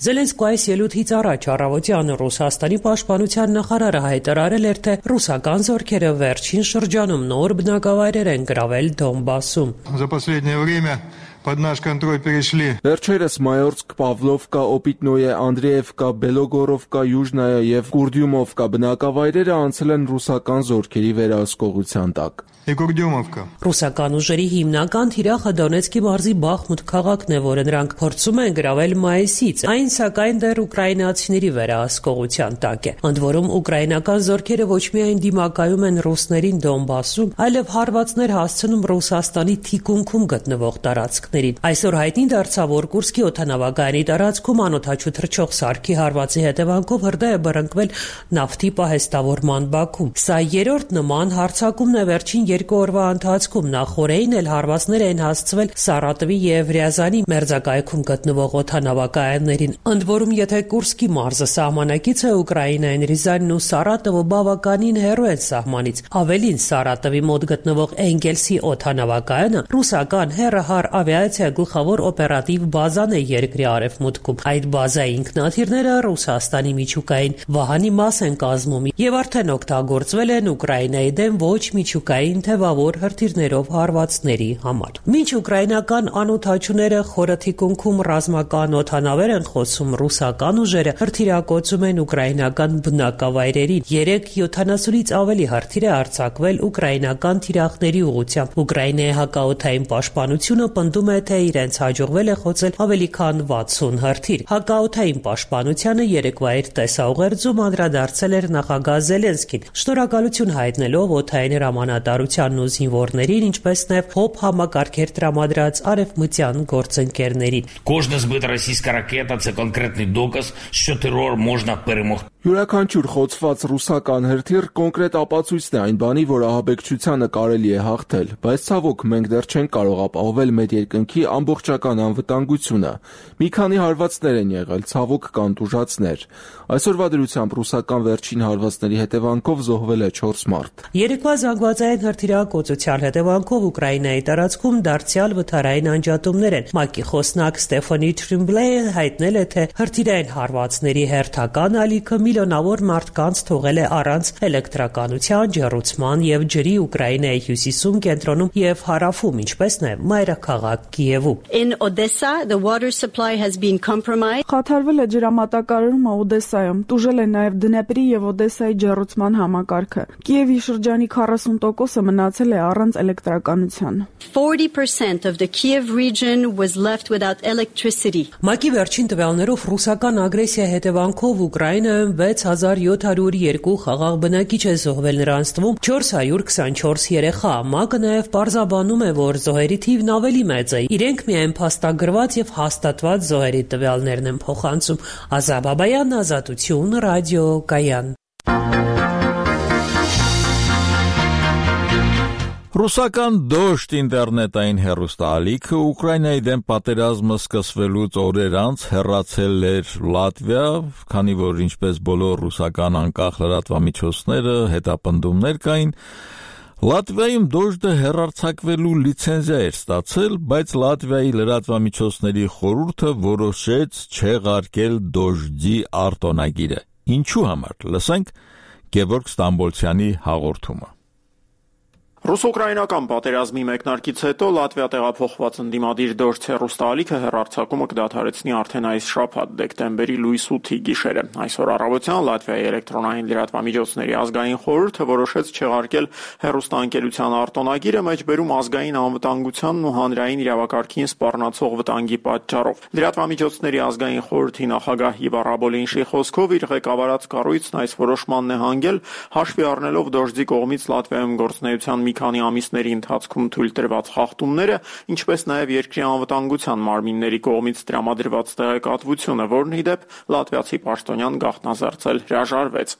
Զելենսկու այս ելույթից առաջ առավոտյան Ռուսաստանի պաշտպանության նախարարը հայտարարել էր, թե ռուսական զորքերը վերջին շրջանում նոր բնակավայրեր են գրավել Դոնբասում. За последнее время под наш контроль перешли. Վերջերս Մայորսկ, Պավլովկա, Օպիտնոյե, Անդրեևկա, Բելոգորովկա, Յուժնայա եւ Կուրդյումովկա բնակավայրերը անցել են ռուսական զորքերի վերահսկողության տակ. Ռուսական ուժերի հիմնական թիրախը Դոնեցկի մարզի Բախմուտ քաղաքն է, որը նրանք փորձում են գրավել մայիսից, այն սակայն դեռ ուկրաինացիների վերահսկողության տակ է։ Ընդ որում ուկրաինական զորքերը ոչ միայն դիմակայում են ռուսներին Դոնբասում, այլև հարվածներ հասցնում Ռուսաստանի թիկունքում գտնվող տարածքներին։ Այսօր հայտնի դարձավ, որ Կուրսկի օդանավակայանի տարածքում անօդաչու թռչող սարքի հարվածի հետևանքով հրդեհ է բռնկվել նավթի պահեստավորման բաքում։ Սա երրորդ նման հարձակումն է վերջին 2 օրվա ընթացքում, նախորդին էլ հարվածներ են հասցվել Սարատովի եւ Ռիազանի մերձակայքում գտնվող օդանավակայաններին։ Ընդ որում, եթե Կուրսկի մարզը սահմանակից է Ուկրաինային, Ռիզանն ու Սարատովը բավականին հեռու են սահմանից։ Ավելին, Սարատովի մոտ գտնվող Էնգելսի օդանավակայանը ռուսական հեռահար ավիացիա գլխավոր օպերատիվ բազան է երկրի արևմուտքում։ Այդ բազայի ինքնաթիռները Ռուսաստանի միջուկային վահանի մաս են կազմում եւ արդեն օգտագործվել են Ուկրաինայի դեմ ոչ միջուկային թևավոր հրթիռներով հարվածների համար։ Մինչ ուկրաինական անօդաչուները խորը թիկունքում ռազմական օդանավեր են խոսում, ռուսական ուժերը հրթիռակոծում են ուկրաինական բնակավայրերին։ 370-ից ավելի հրթիռ է արձակվել ուկրաինական թիրախների ուղղությամբ։ Ուկրաինայի հակաօդային պաշտպանությունը պնդում է, թե իրենց հաջողվել է խոցել ավելի քան 60 հրթիռ։ Հակաօդային պաշտպանությանը երեկվա իր տեսաուղերձում անդրադարձել էր նախագահ Զելենսկին, շնորհակալություն հայտնելով օդային հրամանատարությանն ու զինվորներին, ինչպես նաև ՀՕՊ համակարգեր տրամադրած արևմտյան գործընկերներին։ Кожна збита російська ракета – це конкретний доказ, що терор можна перемогти. Յուրաքանչյուր խոցված ռուսական հրթիռ կոնկրետ ապացույցն է այն բանի, որ ահաբեկչությանը կարելի է հաղթել, բայց ցավոք մենք դեռ չենք կարող ապահովել մեր երկնքի ամբողջական անվտանգությունը։ Մի քանի հարվածներ են եղել, ցավոք կան տուժածներ։ Այսօրվա դրությամբ ռուսական վերջին հարվածների հետևանքով զոհվել է 4 մարդ։ Երեկվա զանգվածային հրթիռակոծության հետևանքով Ուկրաինայի տարածքում դարձյալ վթարային անջատումներ են։ ՄԱԿ-ի խոսնակ Ստեֆանի Թրիմբլեյը հայտնել է, թե հրթիռային հարվածների հերթական ալիքը միլիոնավոր մարդկանց թողել է առանց էլեկտրականության, ջեռուցման եւ ջրի Ուկրաինայի հյուսիսում, կենտրոնում եւ հարավում, ինչպես նաեւ մայրաքաղաք Կիևում։ In Odessa, the water supply has been compromised. Խաթարվել է ջրամատակարարումը Օդեսայում, տուժել է նաեւ Դնեպրի եւ Օդեսայի ջեռուցման համակարգը։ Կիևի շրջանի 40%-ը մնացել է առանց էլեկտրականության։ 40% of the Kiev region was left without electricity. ՄԱԿ-ի վերջին տվյալներով ռուսական ագրեսիա հետևանքով Ուկրաինայում 6702 խաղաղ բնակիչ է զոհվել, նրանց թվում 424 երեխա։ ՄԱԿ-ը նաև պարզաբանում է, որ զոհերի թիվն ավելի մեծ է։ Իրենք միայն փաստագրված եւ հաստատված զոհերի տվյալներն են փոխանցում։ Ազատ Բաբայան, Ազատություն, ռադիո Կայան։ Ռուսական դոշտ ինտերնետային հեռուստաալիքը Ուկրաինայի դեմ պատերազմը սկսվելուց օրեր անց հեռացել էր Լատվիա, քանի որ ինչպես բոլոր ռուսական անկախ լրատվամիջոցները հետապնդումներ կային, Լատվիայում դոշտը հեռարձակվելու լիցենզիա էր ստացել, բայց Լատվիայի լրատվամիջոցների խորհուրդը որոշեց չեղարկել դոշտի արտոնագիրը։ Ինչու համար, լսենք Գևորգ Ստամբոլցյանի հաղորդումը։ Ռուս-ուկրաինական պատերազմի մեկնարկից հետո Լատվիա տեղափոխված ընդդիմադիր դոշտ հեռուստաալիքը հեռարձակումը կդադարեցնի արդեն այս շաբաթ դեկտեմբերի լույս 8-ի գիշերը։ Այսօր առավոտյան Լատվիայի էլեկտրոնային լրատվամիջոցների ազգային խորհուրդը որոշեց չեղարկել հեռուստաընկերության արտոնագիրը մեջբերում ազգային անվտանգությանն ու հանրային իրավակարգին սպառնացող վտանգի պատճառով։ Լրատվամիջոցների ազգային խորհրդի նախագահ Իվա Ռաբոլինշի խոսքով իր ղեկավարած կառույցն այս որոշմանն է հանգել հաշվի առնելով դոշտի կողմից Լատվիայում գործունեության մի քանի ամիսների ընթացքում թույլ տրված խախտումները, ինչպես նաև երկրի անվտանգության մարմինների կողմից տրամադրված տեղեկատվությունը, որն ի դեպ լատվիացի պաշտոնյան գաղտնազերծել հրաժարվեց։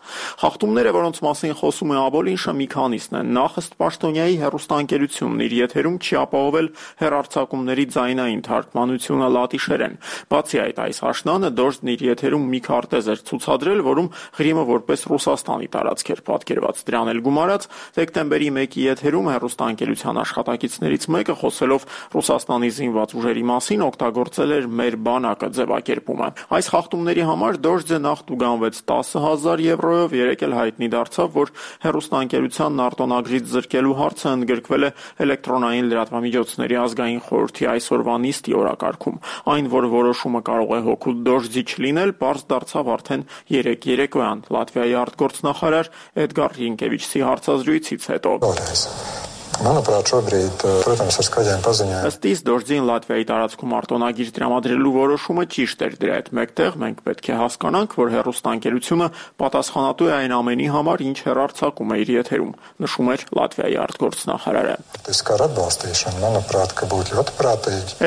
Խախտումները, որոնց մասին խոսում է Աբոլինշը, մի քանիսն են։ Նախ ըստ պաշտոնյայի հեռուստաընկերությունն իր եթերում չի ապահովել հեռարձակումների ձայնային թարգմանությունը լատիշերեն։ Բացի այդ, այս աշնանը դոշտն իր եթերում մի քարտեզ էր ցուցադրել, որում Ղրիմը որպես Ռուսաստանի տարածք էր պատկերված։ Դրան էլ գումարած դեկտեմբերի 1-ի եթերում հեռուստաընկերության աշխատակիցներից մեկը խոսելով Ռուսաստանի զինված ուժերի մասին օգտագործել էր «մեր բանակը» ձևակերպումը։ Այս խախտումների համար Դոժձը նախ տուգանվեց 10,000 եվրոյով, երեկ էլ հայտնի դարձավ, որ հեռուստաընկերությանն արտոնագրից զրկելու հարցը ընդգրկվել է էլեկտրոնային լրատվամիջոցների ազգային խորհրդի այսօրվա նիստի օրակարգում։ Այն, որ որոշումը կարող է հօգուտ Դոժձի չլինել, պարզ դարձավ արդեն երեկոյան Լատվիայի արտգործնախարար Էդգար Ռինկևիչի հարցազրույցից հետո։ Ըստ իս Դոժձին Լատվիայի տարածքում արտոնագիր տրամադրելու որոշումը ճիշտ էր, դրա հետ մեկտեղ մենք պետք է հասկանանք, որ հեռուստաընկերությունը պատասխանատու է այն ամենի համար, ինչ հեռարձակում է իր եթերում, նշում էր Լատվիայի արտգործնախարարը։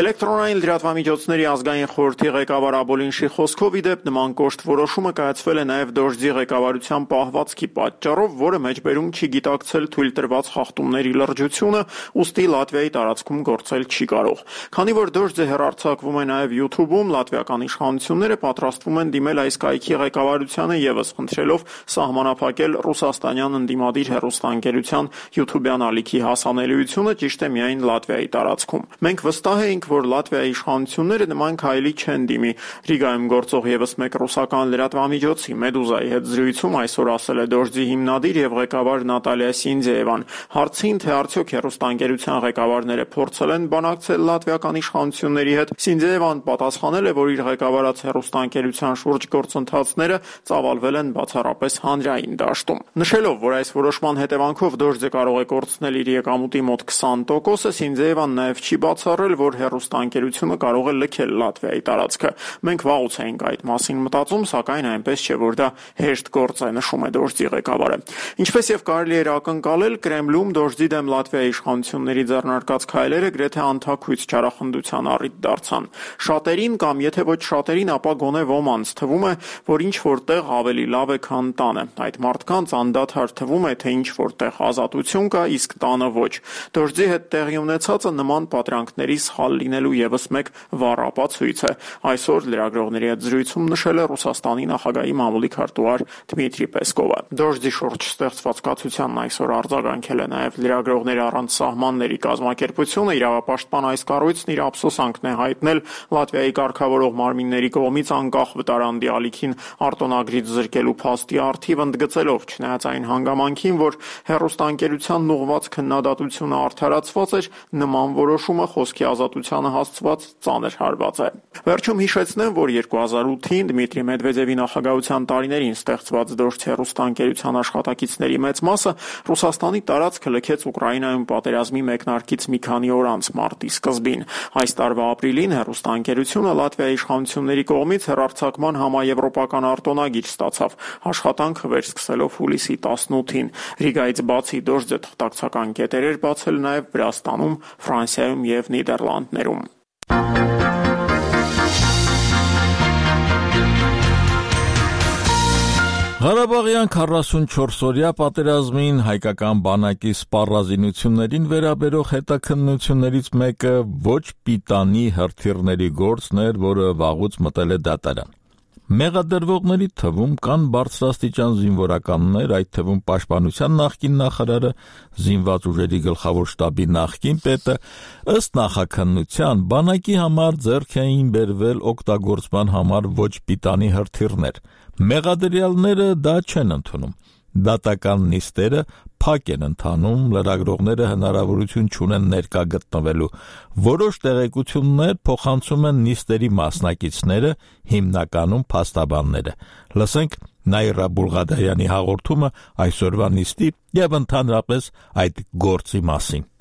Էլեկտրոնային լրատվամիջոցների ազգային խորհրդի ղեկավար Աբոլինշի խոսքով ի դեպ նման կոշտ որոշումը կայացվել է նաև Դոժձի ղեկավարության պահվածքի պատճառով, որը մեջբերում չի գիտակցել թույլ տրված խախտումների լրջությունը, ուստի Լատվիայի տարածքում գործել չի կարող։ Քանի որ Դոժձը հեռարձակվում է նաև YouTube-ում, լատվիական իշխանությունները պատրաստվում են դիմել այս կայքի ղեկավարությանը եւս խնդրելով սահմանափակել ռուսաստանյան ընդդիմադիր հեռուստաընկերության YouTube-յան ալիքի հասանելիությունը ճիշտ է միայն Լատվիայի տարածքում։ Մենք վստահ ենք, որ Լատվիայի իշխանությունները նման քայլի չեն դիմի։ Ռիգայում գործող եւս մեկ ռուսական լրատվամիջոցի Մեդուզայի հետ զրույցում այսօր ասել է Դոժձի հիմնադիր եւ ղեկավար Նատալիա Սինդզեևան։ Հարցին, թե արդյոք հեռուստաընկերության ղեկավարները փորձել են բանակցել լատվիական իշխանությունների հետ, Սինդզեևան պատասխանել է, որ իր ղեկավարած հեռուստաընկերության շուրջ գործընթացները ծավալվել են բացառապես հանրային դաշտում։ Նշելով, որ այս որոշման հետևանքով Դոժձը կարող է կորցնել իր եկամուտի մոտ 20%-ը, Սինդզեևան նաև չի բացառել, որ հեռուստաընկերությունը կարող է լքել Լատվիայի տարածքը։ Մենք վաղուց էինք այդ մասին մտածում, սակայն այնպես չէ, որ դա հեշտ գործ է, նշում է Դոժձի ղեկավարը։ Ինչպես եւ կարելի էր ակնկալել, Կրեմլում Դոժձի դեմ Լատվիայի իշխանությունների ձեռնարկած քայլերը գրեթե անթաքույց չարախնդության առիթ դարձան։ Շատերին կամ եթե ոչ շատերին, ապա գոնե ոմանց թվում է, որ ինչ որտեղ ավելի լավ է, քան տանը։ Այդ մարդկանց անդադար թվում է, թե ինչ որտեղ ազատություն կա, իսկ տանը ոչ։ Դոժձի հետ տեղի ունեցածը նման պատրանքների սխալ լինելու եւս մեկ վառ ապացույց է։ Այսօր լրագրողների հետ զրույցում նշել է Ռուսաստանի նախագահի մամուլի քարտուղար Դմիտրի Պեսկովը։ Դոժձի շուրջ ստեղծված կացությանն այսօր արձագանքել է նաև Լրագրողներ առանց սահմանների կազմակերպությունը, իրավապաշտպան այս կառույցն իր ափսոսանքն է հայտնել Լատվիայի կարգավորող մարմինների կողմից անկախ վտարանդի ալիքին արտոնագրից զրկելու փաստի առթիվ ընդգծելով, չնայած այն հանգամանքին, որ հեռուստաընկերությանն ուղղված քննադատությունը արդարացված էր, նման որոշումը խոսքի ազատությանը հասցված ծանր հարված է։ Վերջում հիշեցնեմ, որ 2008-ին Դմիտրի Մեդվեդևի նախագահության տարիներին ստեղծված Դոժձ հեռուստաընկերության աշխատակիցների մեծ մասը Ռուսաստանի տարածքը լքեց Ուկրաինայում պատերազմի մեկնարկից մի քանի օր անց մարտի սկզբին։ Այս տարվա ապրիլին հեռուստաընկերությունը Լատվիայի իշխանությունների կողմից հեռարձակման համաեվրոպական արտոնագիր ստացավ, աշխատանքը վերսկսելով հուլիսի 18-ին։ Ռիգայից բացի Դոժձը թղթակցական կետեր էր բացել նաև Վրաստանում, Ֆրանսիայում եւ Նիդերլանդներում։ Ղարաբաղյան 44-օրյա պատերազմին հայկական բանակի սպառազինություններին վերաբերող հետաքննություններից մեկը ոչ պիտանի հրթիռների գործն էր, որը վաղուց մտել է դատարան։ Մեղադրվողների թվում կան բարձրաստիճան զինվորականներ, այդ թվում Պաշտպանության նախկին նախարարը, զինված ուժերի գլխավոր շտաբի նախկին պետը, ըստ նախաքննության բանակի համար ձեռք էին բերվել օգտագործման համար ոչ պիտանի հրթիռներ։ Մեղադրյալները դա չեն ընդունում։ Դատական նիստերը փակ են ընթանում, լրագրողները հնարավորություն չունեն ներկա գտնվելու։ Որոշ տեղեկություններ փոխանցում են նիստերի մասնակիցները, հիմնականում փաստաբանները։ Լսենք Նաիրա Բուլղադարյանի հաղորդումը այսօրվա նիստի եւ ընդհանրապես այդ գործի մասին։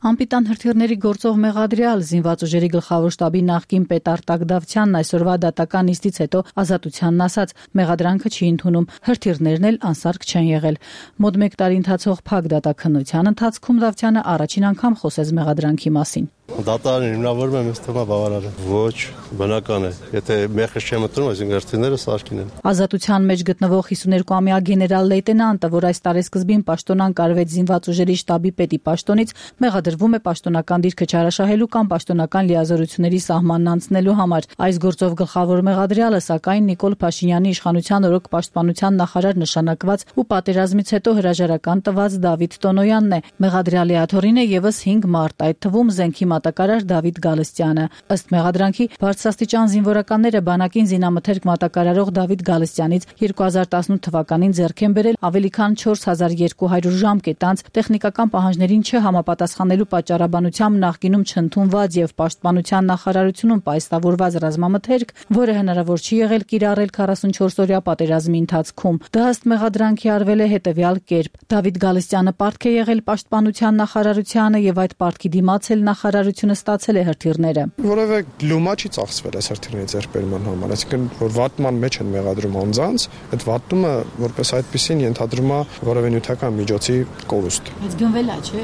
Անպիտան հրթիռների գործող մեղադրյալ զինված ուժերի գլխավոր շտաբի նախկին պետ Արտակ Դավթյանն այսօրվա դատական նիստից հետո ազատությանն ասաց, մեղադրանքը չի ընդունում, հրթիռներն էլ անսարք չեն եղել։ Մոտ 1 տարի ընթացող փակ դատաքննության ընթացքում Դավթյանը առաջին անգամ խոսեց մեղադրանքի մասին։ Դատարան հիմնավորում եմ, ըստ թվում է բավարար է։ Ոչ, բնական է։ Եթե մեղք չեմ մտնում, այսինքն հրթիռները սարքին են։ Ազատության մեջ գտնվող 52-ամյա գեներալ լեյտենանտը, որ այս տարեսկզբին պաշտոնան կարվեց զինված ուժերի շտաբի պետի պաշտոնից, մեղադրվում է պաշտոնական դիրքը չարաշահելու կամ պաշտոնական լիազորությունների սահմանն անցնելու համար։ Այս գործով գլխավոր մեղադրյալը, սակայն, Նիկոլ Փաշինյանի իշխանության օրոք պաշտպանության նախարար նշանակված ու պատերազմից հետո հրաժարական տված Դավիթ Տոնոյանն է։ Մեղադրյալի աթոռին է եւս 5 մարդ, այդ թվում զենքի մատակարար Դավիթ Գալստյանը։ Ըստ մեղադրանքի, բարձրաստիճան զինվորականները բանակին զինամթերք մատակարարող Դավիթ Գալստյանից 2018 թվականին ձեռք են բերել ավելի քան 4200 ժամկետ անց տեխնիկական պահանջներին չհամապատասխանելու պատճառաբանությամբ նախկինում չընդունված եւ պաշտպանության նախարարությունում պայստավորված ռազմամթերք, որը հնարավոր չի եղել կիրառել 44-օրյա պատերազմի ընթացքում։ Դա ըստ մեղադրանքի արվել է հետեւյալ կերպ. Դավիթ Գալստյանը պարտք է եղել պաշտպանության նախարարությանը եւ այդ պարտքի դիմաց էլ նախարարությունը ստացել է հրթիռները։ Որևէ լումա չի ծախսվել այս հրթիռների ձեռքբերման համար, այսինքն որ վատման մեջ են մեղադրում անձանց, այդ վատումը որպես այդպեսին ենթադրում է որևէ նյութական միջոցի կորուստ։ Բայց գնվել է, չէ՞,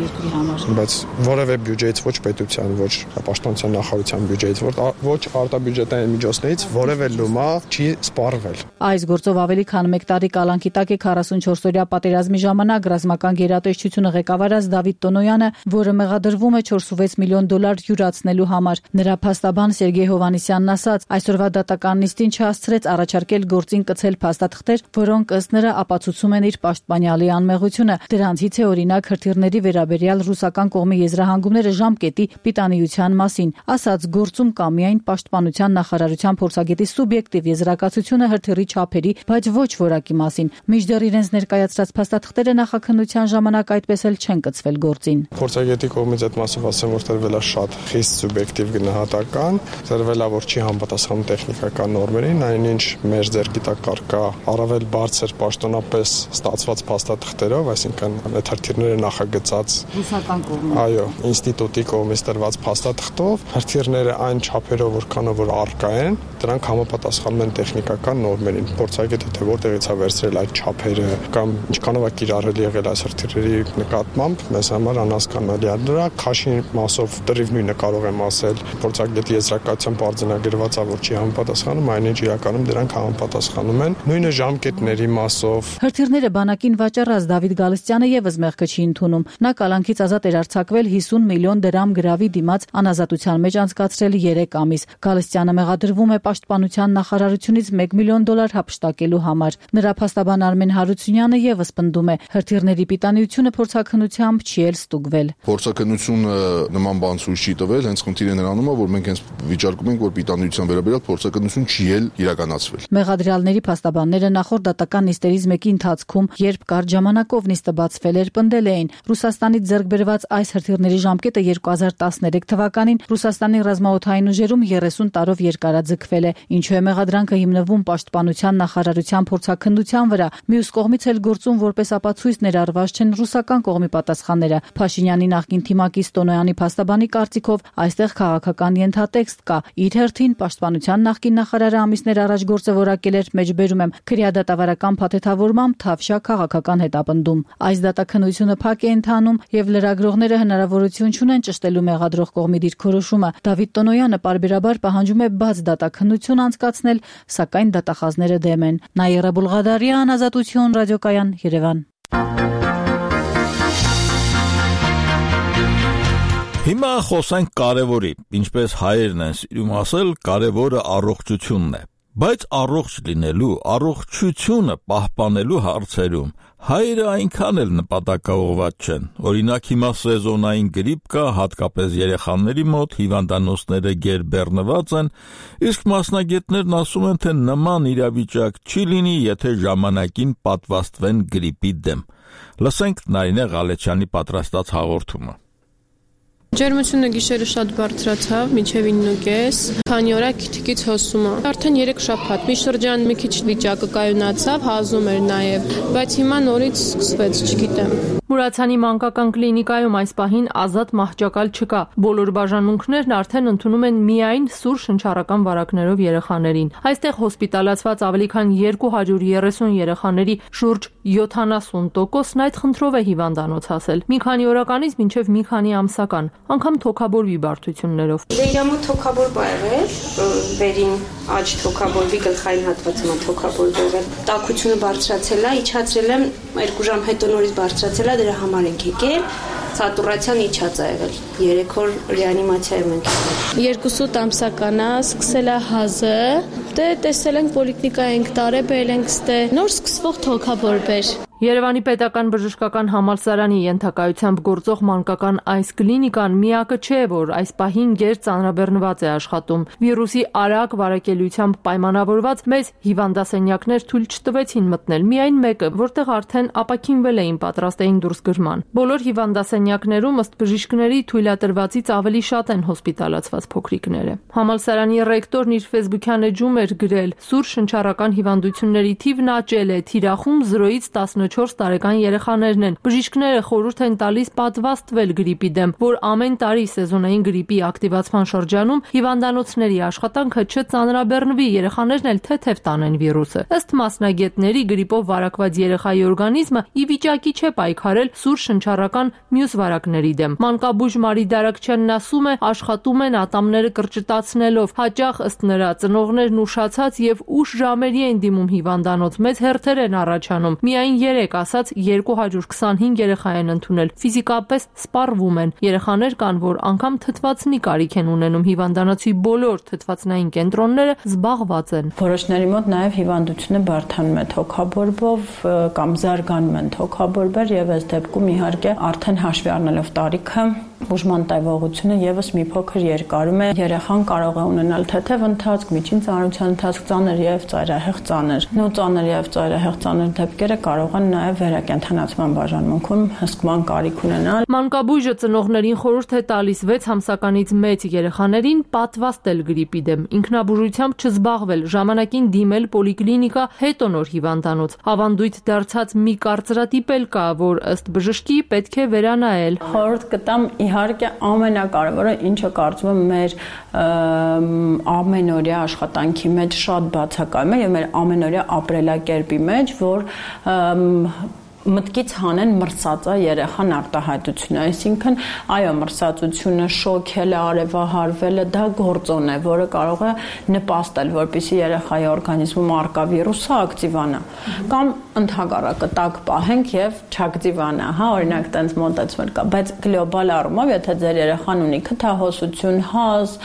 երկրի համար։ Բայց որևէ բյուջեից, ոչ պետության, ոչ պաշտպանության նախարարության բյուջեից, ոչ արտաբյուջետային միջոցներից որևէ լումա չի սպառվել։ Այս գործով ավելի քան 1 տարի կալանքի տակ է 44-օրյա պատերազմի ժամանակ ռազմական գերատեսչությունը ղեկավարած Դավիթ Տոնոյանը, որը մեղադրվում է $4.6 միլիոն յուրացնելու համար։ Նրա փաստաբան Սերգեյ Հովանեսյանն ասաց, այսօրվա դատական նիստին չհասցրեց առաջարկել գործին կցել փաստաթղթեր, որոնք ըստ նրա ապացուցում են իր պաշտպանյալի անմեղությունը։ Դրանցից է օրինակ հրթիռների վերաբերյալ ռուսական կողմի եզրահանգումները ժամկետի պիտանիության մասին։ Ասաց, գործում կա միայն պաշտպանության նախարարության փորձագետի սուբյեկտիվ եզրակացությունը հրթիռի չափերի, բայց ոչ որակի մասին։ Մինչդեռ իրենց ներկայացրած փաստաթղթերը նախաքննության ժամանակ այդպես էլ չեն կցվել գործին։ Փորձագետի կողմից այդ մասով ասեմ, որ տրվել է շատ խիստ սուբյեկտիվ գնահատական, տրվել է, որ չի համապատասխանում տեխնիկական նորմերին, այնինչ մեր ձեռքի տակ կա առավել բարձր պաշտոնապես ստացված փաստաթղթերով, այսինքն այդ հրթիռները նախագծած ռուսական կողմից։ Այո, ինստիտուտի կողմից տրված փաստաթղթով հրթիռները այն չափերով որքանով որ առկա են, դրանք համապատասխանում են տեխնիկական նորմերին։ Փորձագետը թե որտեղից է վերցրել այդ չափերը կամ ինչքանով է կիրառել եղել այս հրթիռերի նկատմամբ, մեզ համար անհասկանալի է։ Դրա քաշի մասով դրիվ նույնը կարող եմ ասել, փորձագետի եզրակացությամբ արձանագրված է, որ չի համապատասխանում, այնինչ իրականում դրանք համապատասխանում են։ Նույնը ժամկետների մասով։ Հրթիռները բանակին վաճառած Դավիթ Գալստյանը եւս մեղքը չի ընդունում։ Նա կալանքից ազատ էր արձակվել 50 միլիոն դրամ գրավի դիմաց անազատության մեջ անցկացրել 3 ամիս։ Գալստյանը մեղադրվում է պաշտպանության նախարարությունից $1 միլիոն հափշտակելու համար։ Նրա փաստաբան Արմեն Հարությունյանը եւս պնդում է, հրթիռների պիտանիությունը փորձաքննությամբ չի էլ ստուգվել։ Փորձաքննությունը նման բան ցույց չի տվել, հենց խնդիրը նրանում է, որ մենք հենց վիճարկում ենք, որ պիտանիության վերաբերյալ փորձաքննություն չի էլ իրականացվել։ Մեղադրյալների փաստաբանները նախորդ դատական նիստերից մեկի ընթացքում, երբ կարճ ժամանակով նիստը բացվել էր, պնդել էին, Ռուսաստանից ձեռք բերված այս հրթիռների ժամկետը 2013 թվականին Ռուսաստանի ռազմաօդային ուժերում 30 տարով երկարաձգվել է, ինչու է մեղադրանքը հիմնվում պաշտպանության նախարարության փորձաքննության վրա։ Մյուս կողմից էլ գործում որպես ապացույց ներառված չեն ռուսական կողմի պատասխանները։ Փաշինյանի նախկին թիմակից Տոնոյանի փաստաբանի կարծիքով այստեղ քաղաքական ենթատեքստ կա։ Իր հերթին պաշտպանության նախկին նախարարը ամիսներ առաջ գործը որակել էր, մեջբերում եմ, քրեադատավարական փաթեթավորմամբ Թավշյա քաղաքական հետապնդում։ Այս դատաքննությունը փակ է ընթանում եւ լրագրողները հնարավորություն չունեն ճշտելու մեղադրող կողմի դիրքորոշումը։ Դավիթ Տոնոյանը պարբերաբար պահանջում է բաց դատաքննություն անցկացնել, սակայն դատախազները դեմ են։ Նաիրա Բուլղադարյան, Ազատություն, ռադիոկայան, Երևան։ Հիմա խոսենք կարևորի, ինչպես հայերն են սիրում ասել, կարևորը առողջությունն է։ Բայց առողջ լինելու, առողջությունը պահպանելու հարցերում հայերը այնքան էլ նպատակաուղղված չեն։ Օրինակ հիմա սեզոնային գրիպ կա, հատկապես երեխաների մոտ հիվանդանոցները գերբեռնված են, իսկ մասնագետներն ասում են, թե նման իրավիճակ չի լինի, եթե ժամանակին պատվաստվեն գրիպի դեմ։ Լսենք Նարինե Ղալեչյանի պատրաստած հաղորդումը։ Ջերմությունը գիշերը շատ բարձրացավ, մինչև 9:30, քանի օր է քիթիկից հոսում է։ Արդեն 3 շաբաթ, մի շրջան մի քիչ վիճակը կայունացավ, հազում էր նաև, բայց հիմա նորից սկսվեց, չգիտեմ։ Մուրացյանի մանկական կլինիկայում այս պահին ազատ մահճակալ չկա։ Բոլոր բաժանմունքներն արդեն ընդունում են միայն սուր շնչառական վարակներով երեխաներին։ Այստեղ հոսպիտալացված ավելի քան 230 երեխաների շուրջ 70%-ն այդ խնդրով է հիվանդանոց հասել։ Մի քանի օրականից մինչև մի քանի ամսական, անգամ թոքաբորբի բարդություններով։ Իրամոտ թոքաբորբ ա եղել, վերին աջ թոքաբորբի գլխային հատվածում թոքաբորբ եղել։ Տաքությունը բարձրացել է, իջացրել եմ 2 ժամ հետո նորից բարձրացել է, դրա համար ենք եկել։ Սատուրացիան իջած է եղել։ 3 օր ռեանիմացիայում ենք եղել։ 2 ամսական է, սկսել է հազը, դե տեսել ենք պոլիկլինիկա ենք տարել, բերել ենք ստե։ Նոր սկսվող թոքաբորբ էր։ Երևանի պետական բժշկական համալսարանի ենթակայությամբ գործող մանկական այս կլինիկան միակը չէ, որ այս պահին գեր ծանրաբեռնված է աշխատում։ Վիրուսի արագ վարակելիությամբ պայմանավորված մեծ հիվանդասենյակներ թույլ չտվեցին մտնել, միայն մեկը, որտեղ արդեն ապաքինվել էին, պատրաստ էին դուրսգրման։ Բոլոր հիվանդասենյակներում ըստ բժիշկների թույլատրվածից ավելի շատ են հոսպիտալացված փոքրիկները։ Համալսարանի ռեկտորն իր ֆեյսբուքյան էջում էր գրել. «Սուր շնչառական հիվանդությունների թիվն աճել է, թիրախում 0-ից 14 տարեկան երեխաներն են։ Բժիշկները խորհուրդ են տալիս պատվաստվել գրիպի դեմ, որ ամեն տարի սեզոնային գրիպի ակտիվացման շրջանում հիվանդանոցների աշխատանքը չծանրաբեռնվի, երեխաներն էլ թեթև տանեն վիրուսը։ Ըստ մասնագետների, գրիպով վարակված երեխայի օրգանիզմը ի վիճակի չէ պայքարել սուր շնչառական մյուս վարակների դեմ։ Մանկաբույժ Մարի Դարակչյանն ասում է, աշխատում են ատամները կրճտացնելով, հաճախ ըստ նրա ծնողներն ուշացած եւ ուշ ժամերի են դիմում հիվանդանոց, մեծ հերթեր են առաջանում։ Միայն 3 ասած 225 երեխա են ընդունել, ֆիզիկապես սպառվում են։ Երեխաներ կան, որ անգամ թթվածնի կարիք են ունենում, հիվանդանոցի բոլոր թթվածնային կենտրոնները զբաղված են։ Որոշների մոտ նաև հիվանդությունը բարդանում է թոքաբորբով կամ զարգանում են թոքաբորբեր եւ այս դեպքում իհարկե արդեն հաշվի առնելով տարիքը բուժման տևողությունը եւս մի փոքր երկարում է։ Երեխան կարող է ունենալ թեթև ընթացք, միջին ծանրության ընթացք, ծանր եւ ծայրահեղ ծանր։ Նո ծանր եւ ծայրահեղ ծանր դեպքերը կարող են նաեւ վերակենդանացման բաժանմունքում հսկման կարիք ունենալ։ Մանկաբույժը ծնողներին խորհուրդ է տալիս 6 ամսականից մեծ երեխաներին պատվաստել գրիպի դեմ, ինքնաբուժությամբ չզբաղվել, ժամանակին դիմել պոլիկլինիկա, հետո նոր հիվանդանոց։ Ավանդույթ դարձած մի կարծրատիպ էլ կա, որ ըստ բժշկի պետք է վերանայել։ Խորհուրդ կտամ իհարկե ամենակարևորը, ինչը կարծում եմ մեր ամենօրյա աշխատանքի մեջ շատ բացակայում է եւ մեր ամենօրյա ապրելակերպի մեջ, որ մտքից հանեն մրսածա երեխան արտահայտությունը, այսինքն այո, մրսածությունը, շոքելը, արևահարվելը դա գործոն է, որը կարող է նպաստել, որպեսզի երեխայի օրգանիզմում առկա վիրուսը ակտիվանա, կամ ընդհակառակը տաք պահենք եւ չակտիվանա, հա, օրինակ տենց մոտեցումներ կա, բայց գլոբալ առումով, եթե ձեր երեխան ունի քթահոսություն, հազ,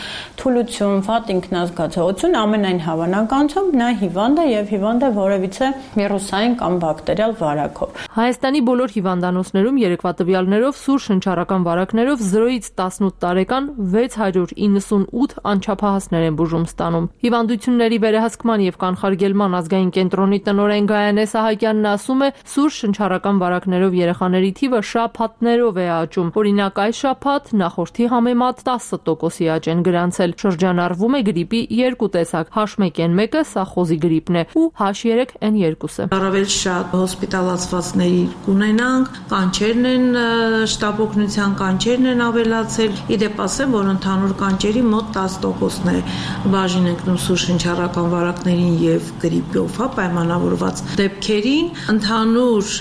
թուլություն, վատ ինքնազգացողություն, ամենայն հավանականությամբ նա հիվանդ է եւ հիվանդ է որևիցե վիրուսային կամ բակտերիալ վարակով։ Հայաստանի բոլոր հիվանդանոցներում երեկվա տվյալներով սուր շնչառական վարակներով 0-ից 18 տարեկան 698 անչափահասներ են բուժում ստանում։ Հիվանդությունների վերահսկման եւ կանխարգելման ազգային կենտրոնի տնօրեն Գայանե Սահակյանն ասում է, սուր շնչառական վարակներով երեխաների թիվը շաբաթներով է աճում։ Օրինակ այս շաբաթ նախորդի համեմատ 10%-ի աճ են գրանցել։ Շրջանառվում է գրիպի 2 տեսակ, H1N1-ը, սա խոզի գրիպն է, ու H3N2-ը։ Առավել շատ հոսպիտալացված կունենանք, կանչերն են, շտապօգնության կանչերն են ավելացել։ Իդեպ ասեմ, որ ընդհանուր կանչերի մոտ 10%-ն է բաժին ընկնում սուր շնչառական վարակներին եւ գրիպով, հա, պայմանավորված դեպքերին։ Ընդհանուր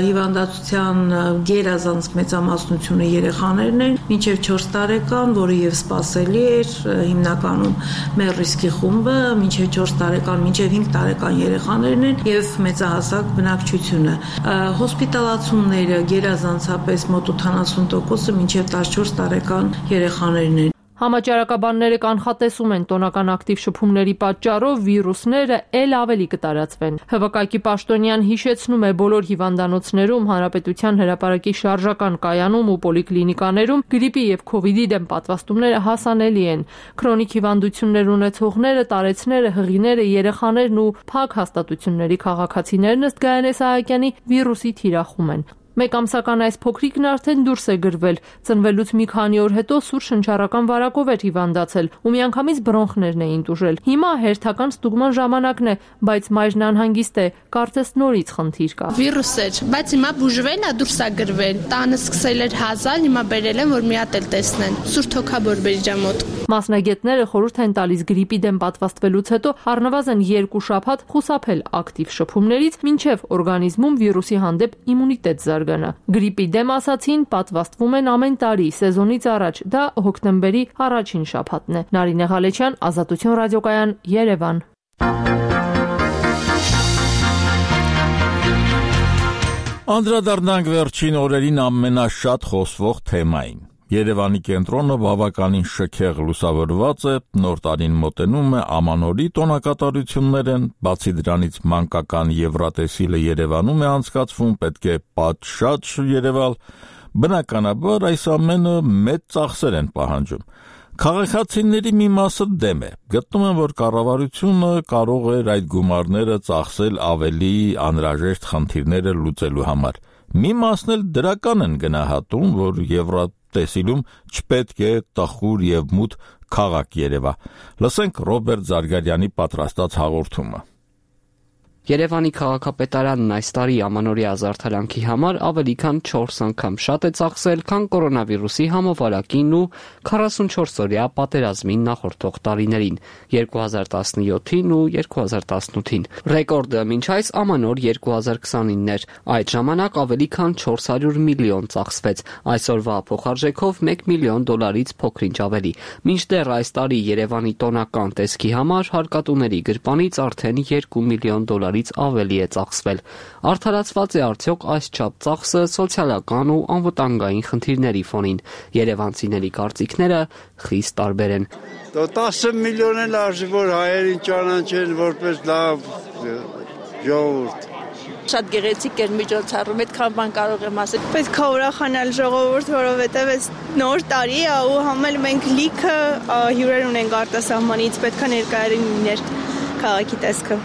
հիվանդացության գերազանց մեծամասնությունը երեխաներն են, մինչեւ 4 տարեկան, որը եւ սպասելի էր, հիմնականում մեր ռիսկի խումբը, մինչեւ 4 տարեկան, մինչեւ 5 տարեկան երեխաներն են եւ մեծահասակ բնակչությունը։ Հոսպիտալացումները գերազանցապես մոտ 80%-ը մինչև 14 տարեկան երեխաներն են։ Համաճարակաբանները կանխատեսում են տոնական ակտիվ շփումների պատճառով վիրուսները ել ավելի կտարածվեն։ ՀՎԿ-ի պաշտոնյան հիշեցնում է, բոլոր հիվանդանոցներում, հանրապետության հրապարակի շարժական կայանում ու պոլիկլինիկաներում գրիպի եւ քովիդի դեմ պատվաստումները հասանելի են։ Քրոնիկ հիվանդություններ ունեցողները, տարեցները, հղիները, երեխաներն ու փակ հաստատությունների քաղաքացիներն ըստ Գայանե Սահակյանի վիրուսի թիրախում են։ Մեկ ամսական այս փոքրիկն արդեն դուրս է գրվել, ծնվելուց մի քանի օր հետո սուր շնչառական վարակով էր հիվանդացել ու միանգամից բրոնխներն էին տուժել։ Հիմա հերթական ստուգման ժամանակն է, բայց մայրն անհանգիստ է, կարծես նորից խնդիր կա։ Վիրուս էր, բայց հիմա բուժվել է, դուրս է գրվել։ Տանը սկսել էր հազալ, հիմա բերել են, որ մի հատ էլ տեսնեն։ Սուր թոքաբորբերի մոտ։ Մասնագետները խորհուրդ են տալիս գրիպի դեմ պատվաստվելուց հետո առնվազն 2 շաբաթ խուսափել ակտիվ շփումներից, մինչև օրգանիզմում վիրուսի հանդեպ իմունիտետ զարգանա։ Գրիպի դեմ ասացին պատվաստվում են ամեն տարի սեզոնից առաջ, դա հոկտեմբերի առաջին շաբաթն է։ Նարինե Ղալեչյան, Ազատություն ռադիոկայան, Երևան։ Անդրադառնանք վերջին օրերին ամենաշատ խոսվող թեմային։ Երևանի կենտրոնը բավականին շքեղ լուսավորված է, նոր տարին մոտենում է, ամանորի տոնակատարություններ են, բացի դրանից մանկական Եվրատեսիլը Երևանում է անցկացվում, պետք է պատշաճ Երևալ, բնականաբար այս ամենը մեծ ծախսեր են պահանջում։ Քաղաքացիների մի մասը դեմ է, գտնում են, որ կառավարությունը կարող էր այդ գումարները ծախսել ավելի անհրաժեշտ խնդիրները լուծելու համար։ Մի մասն էլ դրական են գնահատում, որ Եվրատեսիլում չպետք է տխուր եւ մութ քաղաք երևա։ Լսենք Ռոբերտ Զարգարյանի պատրաստած հաղորդումը։ Երևանի քաղաքապետարանն այս տարի ամանորյա զարդարանքի համար ավելի քան 4 անգամ շատ է ծախսել, քան կորոնավիրուսի համավարակին ու 44-օրյա պատերազմին նախորդող տարիներին՝ 2017-ին ու 2018-ին։ Ռեկորդը մինչ այս ամանոր 2029-ն էր։ Այդ ժամանակ ավելի քան 400 միլիոն ծախսվեց, այսօրվա փոխարժեքով $1 միլիոն փոքր-ինչ ավելի։ Մինչդեռ այս տարի Երևանի տոնական տեսքի համար հարկատուների գրպանից արդեն $2 միլիոն ավելի է ծախսվել։ Արդարացված է արդյոք այսչափ ծախսը սոցիալական ու անվտանգային խնդիրների ֆոնին։ Երևանցիների կարծիքները խիստ տարբեր են։ 10 միլիոն էլ արժի, որ հայերին ճանաչեն որպես լավ ժողովուրդ։ Շատ գեղեցիկ էր միջոցառում, այդքան բան կարող եմ ասել։ Պետք է ուրախանալ ժողովուրդ, որովհետև այս նոր տարի է ու համել մենք լիքը հյուրեր ունենք արտասահմանից, պետք է ներկայացնել լիներ քաղաքի տեսքը։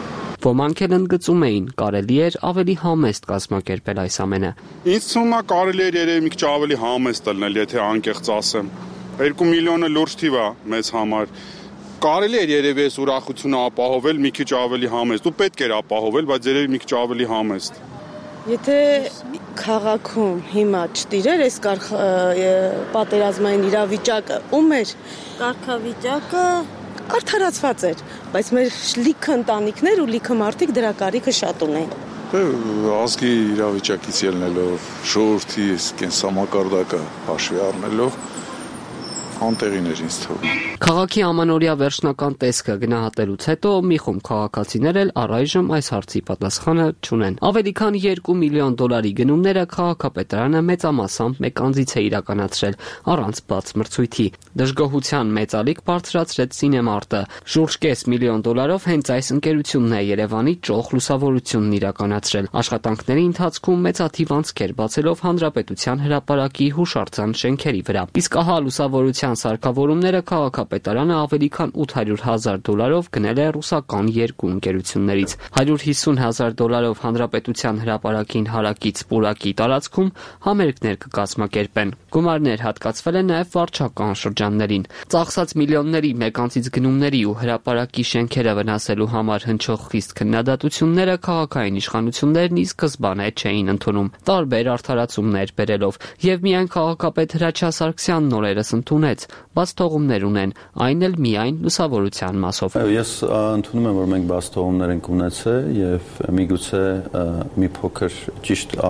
Ոմանք էլ ընդգծում էին, կարելի էր ավելի համեստ կազմակերպել այս ամենը։ Ինձ թվում է կարելի էր երևի մի քիչ ավելի համեստ լինել, եթե անկեղծ ասեմ։ 2 միլիոնը լուրջ թիվ է մեզ համար։ Կարելի էր երևի այս ուրախությունը ապահովել մի քիչ ավելի համեստ։ Ու պետք էր ապահովել, բայց երևի մի քիչ ավելի համեստ։ Եթե քաղաքում հիմա չտիրեր այս պատերազմային իրավիճակը, ում էր կարգավիճակը արդարացված էր, բայց մեր լիքը ընտանիքներ ու լիքը մարդիկ դրա կարիքը շատ ունեն։ Ազգի իրավիճակից ելնելով, ժողովրդի կենսամակարդակը հաշվի առնելով, անտեղին էր ինձ թվում։ Քաղաքի ամանորյա վերջնական տեսքը գնահատելուց հետո մի խումբ քաղաքացիներ էլ առայժմ այս հարցի պատասխանը չունեն։ Ավելի քան $2 միլիոն գնումները քաղաքապետարանը մեծամասամբ մեկ անձից է իրականացրել, առանց բաց մրցույթի։ Դժգոհության մեծ ալիք բարձրացրեց Սինեմարտը։ Շուրջ $5 միլիոն հենց այս ընկերությունն է Երևանի ճոխ լուսավորությունն իրականացրել։ Աշխատանքների ընթացքում մեծաթիվ անցքեր բացելով Հանրապետության հրապարակի հուշարձան շենքերի վրա։ Իսկ ահա լուսավորության սարքավորումները քաղաքապետարանը ավելի քան $800,000 գնել է ռուսական երկու ընկերություններից։ $150,000 Հանրապետության հրապարակին հարակից պուրակի տարածքում համերգներ կկազմակերպեն։ Գումարներ հատկացվել են նաև վարչական շրջաններին։ Ծախսած միլիոնների մեկ անձից գնումների ու հրապարակի շենքերը վնասելու համար հնչող խիստ քննադատությունները քաղաքային իշխանություններն ի սկզբանե չէին ընդունում, տարբեր արդարացումներ բերելով, եւ միայն քաղաքապետ Հրաչյա Սարգսյանն օրերս ընդունեց, բաց թողումներ ունեն, այն էլ միայն լուսավորության մասով։ Ես ընդունում եմ, որ մենք բաց թողումներ ենք ունեցել եւ միգուցե մի փոքր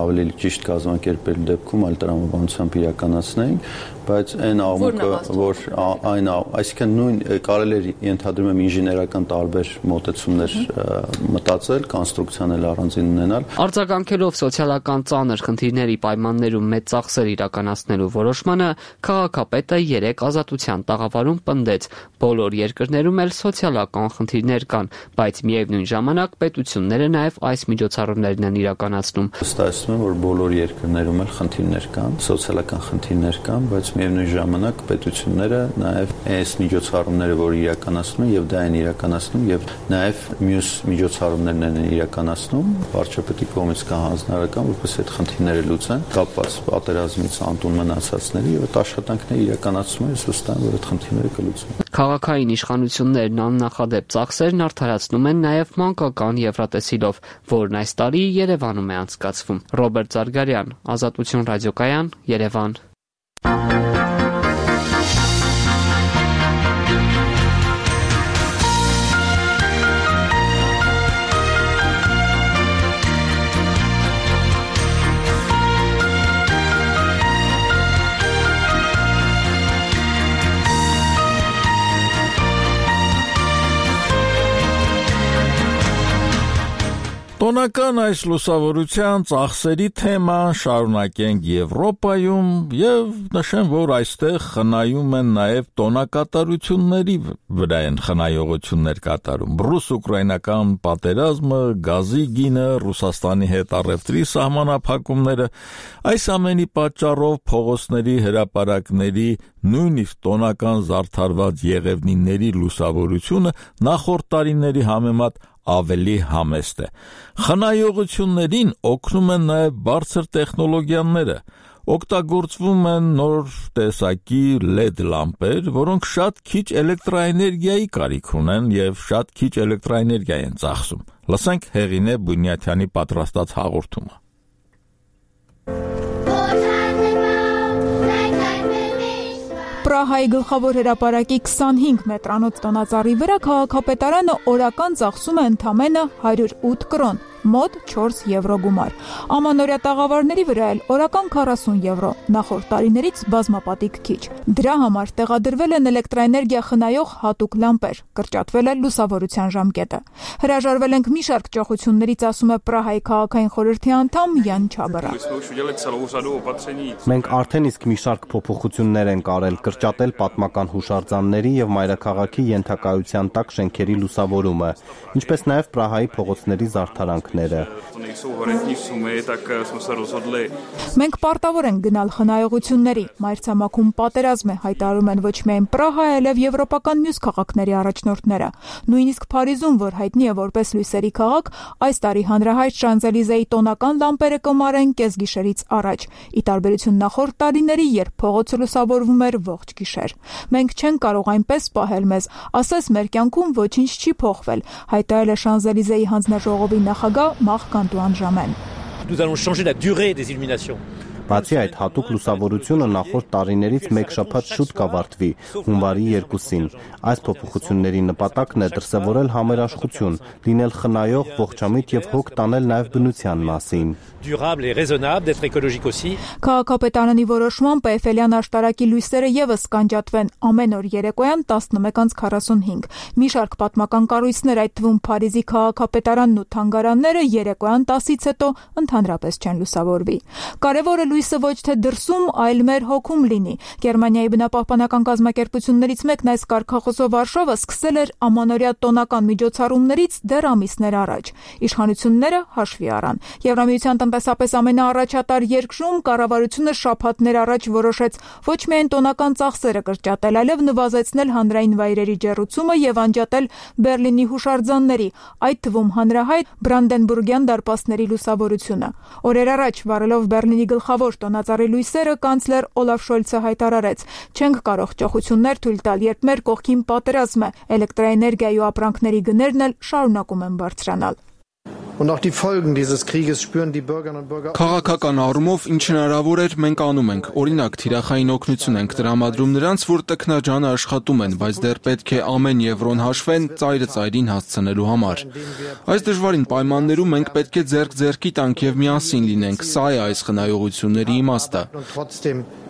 ավելի ճիշտ կազմակերպել դեպքում այլ տրամաբանությամբ իրականացնենք, բայց այն աղմուկը, որ այսինքն նույն կարելի է ենթադրում եմ ինժեներական տարբեր մոտեցումներ մտածել, կոնստրուկցիան էլ առանձին ունենալ։ Արձագանքելով սոցիալական ծանր խնդիրների պայմաններում մեծ ծախսեր իրականացնելու որոշմանը, քաղաքապետը 3 ազատության տաղավարում պնդեց, բոլոր երկրներում էլ սոցիալական խնդիրներ կան, բայց միևնույն ժամանակ պետությունները նաև այս միջոցառումներն են իրականացնում։ Ստացվում է, որ բոլոր երկրներում էլ խնդիրներ կան, սոցիալական խնդիրներ կան, բայց միևնույն ժամանակ պետությունները նաև այս միջոցառումները, որ իրականացնում եւ դա են իրականացնում եւ նաև մյուս միջոցառումներն են իրականացնում, վարչապետի կողմից կա հանձնարարական, որպես այդ խնդիրները լուծեն, կապված պատերազմից անտուն մնացածների եւ այդ աշխատանքները իրականացում են, վստահ եմ, որ այդ խնդիրները կլուծվեն։ Քաղաքային իշխանություններն աննախադեպ ծախսերն արդարացնում են նաև մանկական Եվրատեսիլով, որն այս տարի Երևանում է անցկացվում։ Ռոբերտ Զարգարյան, Ազատություն ռադիոկայան, Երևան։ Տոնական այս լուսավորության ծախսերի թեման շարունակենք Եվրոպայում եւ նշեմ, որ այստեղ խնայում են նաեւ տոնակատարությունների վրա են խնայողություններ կատարում։ Ռուս-ուկրաինական պատերազմը, գազի գինը, Ռուսաստանի հետ առևտրի սահմանափակումները, այս ամենի պատճառով փողոցների հրապարակների նույնիսկ տոնական զարդարված եղևնիների լուսավորությունը նախորդ տարիների համեմատ ավելի համեստ է։ Խնայողություններին օգնում են նաև բարձր տեխնոլոգիաները։ Օգտագործվում են նոր տեսակի LED լամպեր, որոնք շատ քիչ էլեկտրաէներգիայի կարիք ունեն եւ շատ քիչ էլեկտրաէներգիա են ծախսում։ Լսենք Հեղինե Բունյաթյանի պատրաստած հաղորդումը։ Պրահայի գլխավոր հրապարակի 25 մետրանոց տոնածառի վրա քաղաքապետարանը օրական ծախսում է ընդամենը 108 կրոն, մոտ 4 եվրո գումար։ Ամանորյա տաղավարների վրա էլ օրական 40 եվրո, նախորդ տարիներից բազմապատիկ քիչ։ Դրա համար տեղադրվել են էլեկտրաէներգիա խնայող հատուկ լամպեր, կրճատվել է լուսավորության ժամկետը։ Հրաժարվել ենք մի շարք ճոխություններից, ասում է Պրահայի քաղաքային խորհրդի անդամ Յան Չաբարա։ Մենք արդեն իսկ մի շարք փոփոխություններ ենք արել, կրճատել պատմական հուշարձանների եւ մայրաքաղաքի ենթակայության տակ շենքերի լուսավորումը, ինչպես նաեւ Պրահայի փողոցների զարդարանքները։ Մենք պարտավոր ենք գնալ խնայողությունների, մայրցամաքում պատերազմ է, հայտարարում են ոչ միայն Պրահա, այլև եվրոպական մյուս քաղաքների առաջնորդները։ Նույնիսկ Փարիզում, որ հայտնի է որպես լույսերի քաղաք, այս տարի հանրահայտ Շանզելիզեի տոնական լամպերը կմարեն կեսգիշերից առաջ, ի տարբերություն նախորդ տարիների, երբ փողոցը լուսավորվում էր ողջ գիշեր։ Մենք չենք կարող այնպես պահել մեզ, ասես մեր կյանքում ոչինչ չի փոխվել, հայտարարել է Շանզելիզեի հանձնաժողովի նախագահ Մարկ Անտուան Ժամեն։ Nous allons changer la durée des illuminations. Բացի այդ, հատուկ լուսավորությունը նախորդ տարիներից մեկ շաբաթ շուտ կավարտվի, հունվարի 2-ին։ Այս փոփոխությունների նպատակն է դրսևորել համերաշխություն, լինել խնայող, ողջամիտ եւ հոգ տանել նաեւ բնության մասին։ Durable et raisonnable, d'être écologique aussi. Քաղաքապետարանի որոշմամբ Էյֆելյան աշտարակի լույսերը եւս կանջատվեն ամեն օր երեկոյան 11:45։ Մի շարք պատմական կառույցներ, այդ թվում Փարիզի քաղաքապետարանն ու թանգարանները երեկոյան 10-ից հետո ընդհանրապես չեն լուսավորվի։ Կարևորը լույսը ոչ թե դրսում, այլ մեր հոգում լինի։ Գերմանիայի բնապահպանական կազմակերպություններից մեկն այս կարգախոսով Վարշավը սկսել էր ամանորյա տոնական միջոցառումներից դեռ ամիսներ առաջ։ Իշխանությունները հաշվի առան։ Եվրամիության տնտեսապես ամենաառաջատար երկրում կառավարությունը շաբաթներ առաջ որոշեց ոչ միայն տոնական ծախսերը կրճատել, այլև նվազեցնել հանրային վայրերի ջեռուցումը եւ անջատել Բերլինի հուշարձանների, այդ թվում հանրահայտ Բրանդենբուրգյան դարպասների լուսավորությունը։ Օրեր առաջ վարելով Բերլինի գլխավոր տոնածառի լույսերը կանցլեր Օլաֆ Շոլցը հայտարարեց. «Չենք կարող ճոխություններ թույլ տալ, երբ մեր կողքին պատերազմ է, էլեկտրաէներգիայի ու ապրանքների գներն էլ շարունակում են բարձրանալ»։ Քաղաքական առումով ինչ հնարավոր էր մենք անում ենք, օրինակ թիրախային օգնություն ենք տրամադրում նրանց, որ տքնաջանը աշխատում են, բայց դեռ պետք է ամեն եվրոն հաշվեն ծայրը ծայրին հասցնելու համար։ Այս դժվարին պայմաններում մենք պետք է ձեռք-ձեռքի տանք եւ միասին լինենք, սա է այս խնայողությունների իմաստը։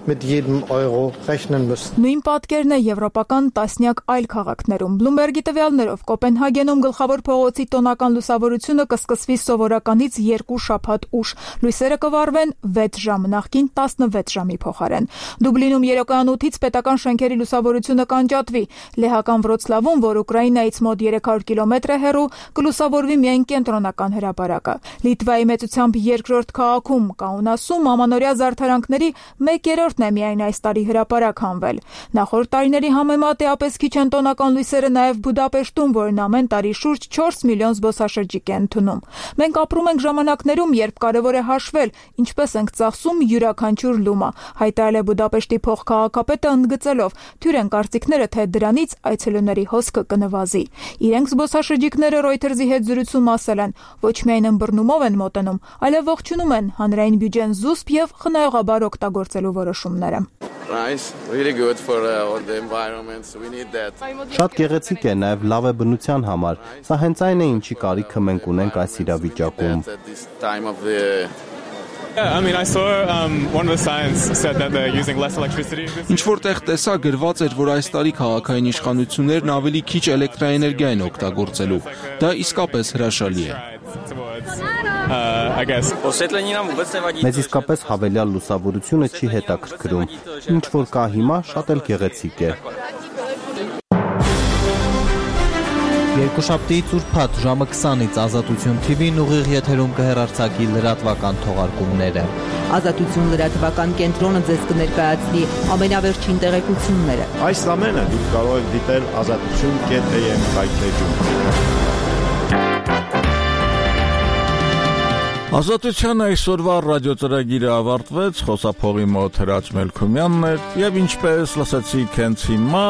Նույն պատկերն է եվրոպական տասնյակ այլ քաղաքներում։ Բլումբերգի տվյալներով Կոպենհագենում գլխավոր փողոցի տոնական լուսավորությունը կսկսվի սովորականից 2 շաբաթ ուշ։ Լույսերը կվառվեն 6 ժամ, նախկին 16 ժամի փոխարեն։ Դուբլինում երեկոյան 8-ից պետական շենքերի լուսավորությունը կանջատվի։ Լեհական Վրոցլավում, որ Ուկրաինայից մոտ 300 կիլոմետր է հեռու, կլուսավորվի միայն կենտրոնական հրապարակը։ Լիտվայի մեծությամբ երկրորդ քաղաքում Կաունասում ամանորյա զարդարանքների 1/3 է միայն այս տարի հրապարակ հանվել։ Նախորդ տարիների համեմատ էապես քիչ են տոնական լույսերը նաև Բուդապեշտում, որն ամեն տարի շուրջ 4 միլիոն զբոսաշրջիկ է ընդունում։ Մենք ապրում ենք ժամանակներում, երբ կարևոր է հաշվել, ինչպես ենք ծախսում յուրաքանչյուր լումա, հայտարարել է Բուդապեշտի փոխքաղաքապետը ընդգծելով. թյուր են կարծիքները, թե դրանից այցելուների հոսքը կնվազի։ Իրենք զբոսաշրջիկները Reuters-ի հետ զրույցում ասել են, ոչ միայն ըմբռնումով են մոտենում, այլև ողջունում են հանրային բյուջեն զուսպ եւ խնայողաբար օգտագործելու որոշումները։ Շատ գեղեցիկ է, նաև լավ է բնության համար։ Սա հենց այն է, ինչի կարիքը մենք ունենք այս իրավիճակում։ Ինչ որտեղ տեսա գրված էր, որ այս տարի քաղաքային իշխանություններն ավելի քիչ էլեկտրաէներգիա են օգտագործելու։ Դա իսկապես հրաշալի է։ Մեզ իսկապես հավելյալ լուսավորությունը չի հետաքրքրում։ Ինչ որ կա հիմա, շատ էլ գեղեցիկ է։ Երկուշաբթիից ուրբաթ ժամը 20-ից Ազատություն TV-ն ուղիղ եթերում կհեռարձակի լրատվական թողարկումները։ Ազատություն լրատվական կենտրոնը ձեզ կներկայացնի ամենավերջին տեղեկությունները։ Այս ամենը դուք կարող եք դիտել azatutun.am վայրէջում։ Ազատության այսօրվա ռադիոծրագիրը ավարտվեց, խոսափողի մոտ Հրաչ Մելքումյանն էր եւ ինչպես լսեցիք հենց հիմա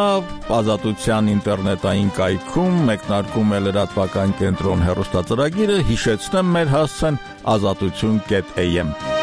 Ազատության ինտերնետային կայքում մեկնարկում է լրատվական կենտրոն հեռուստածրագիրը, հիշեցնեմ մեր հասցեն azatutun.am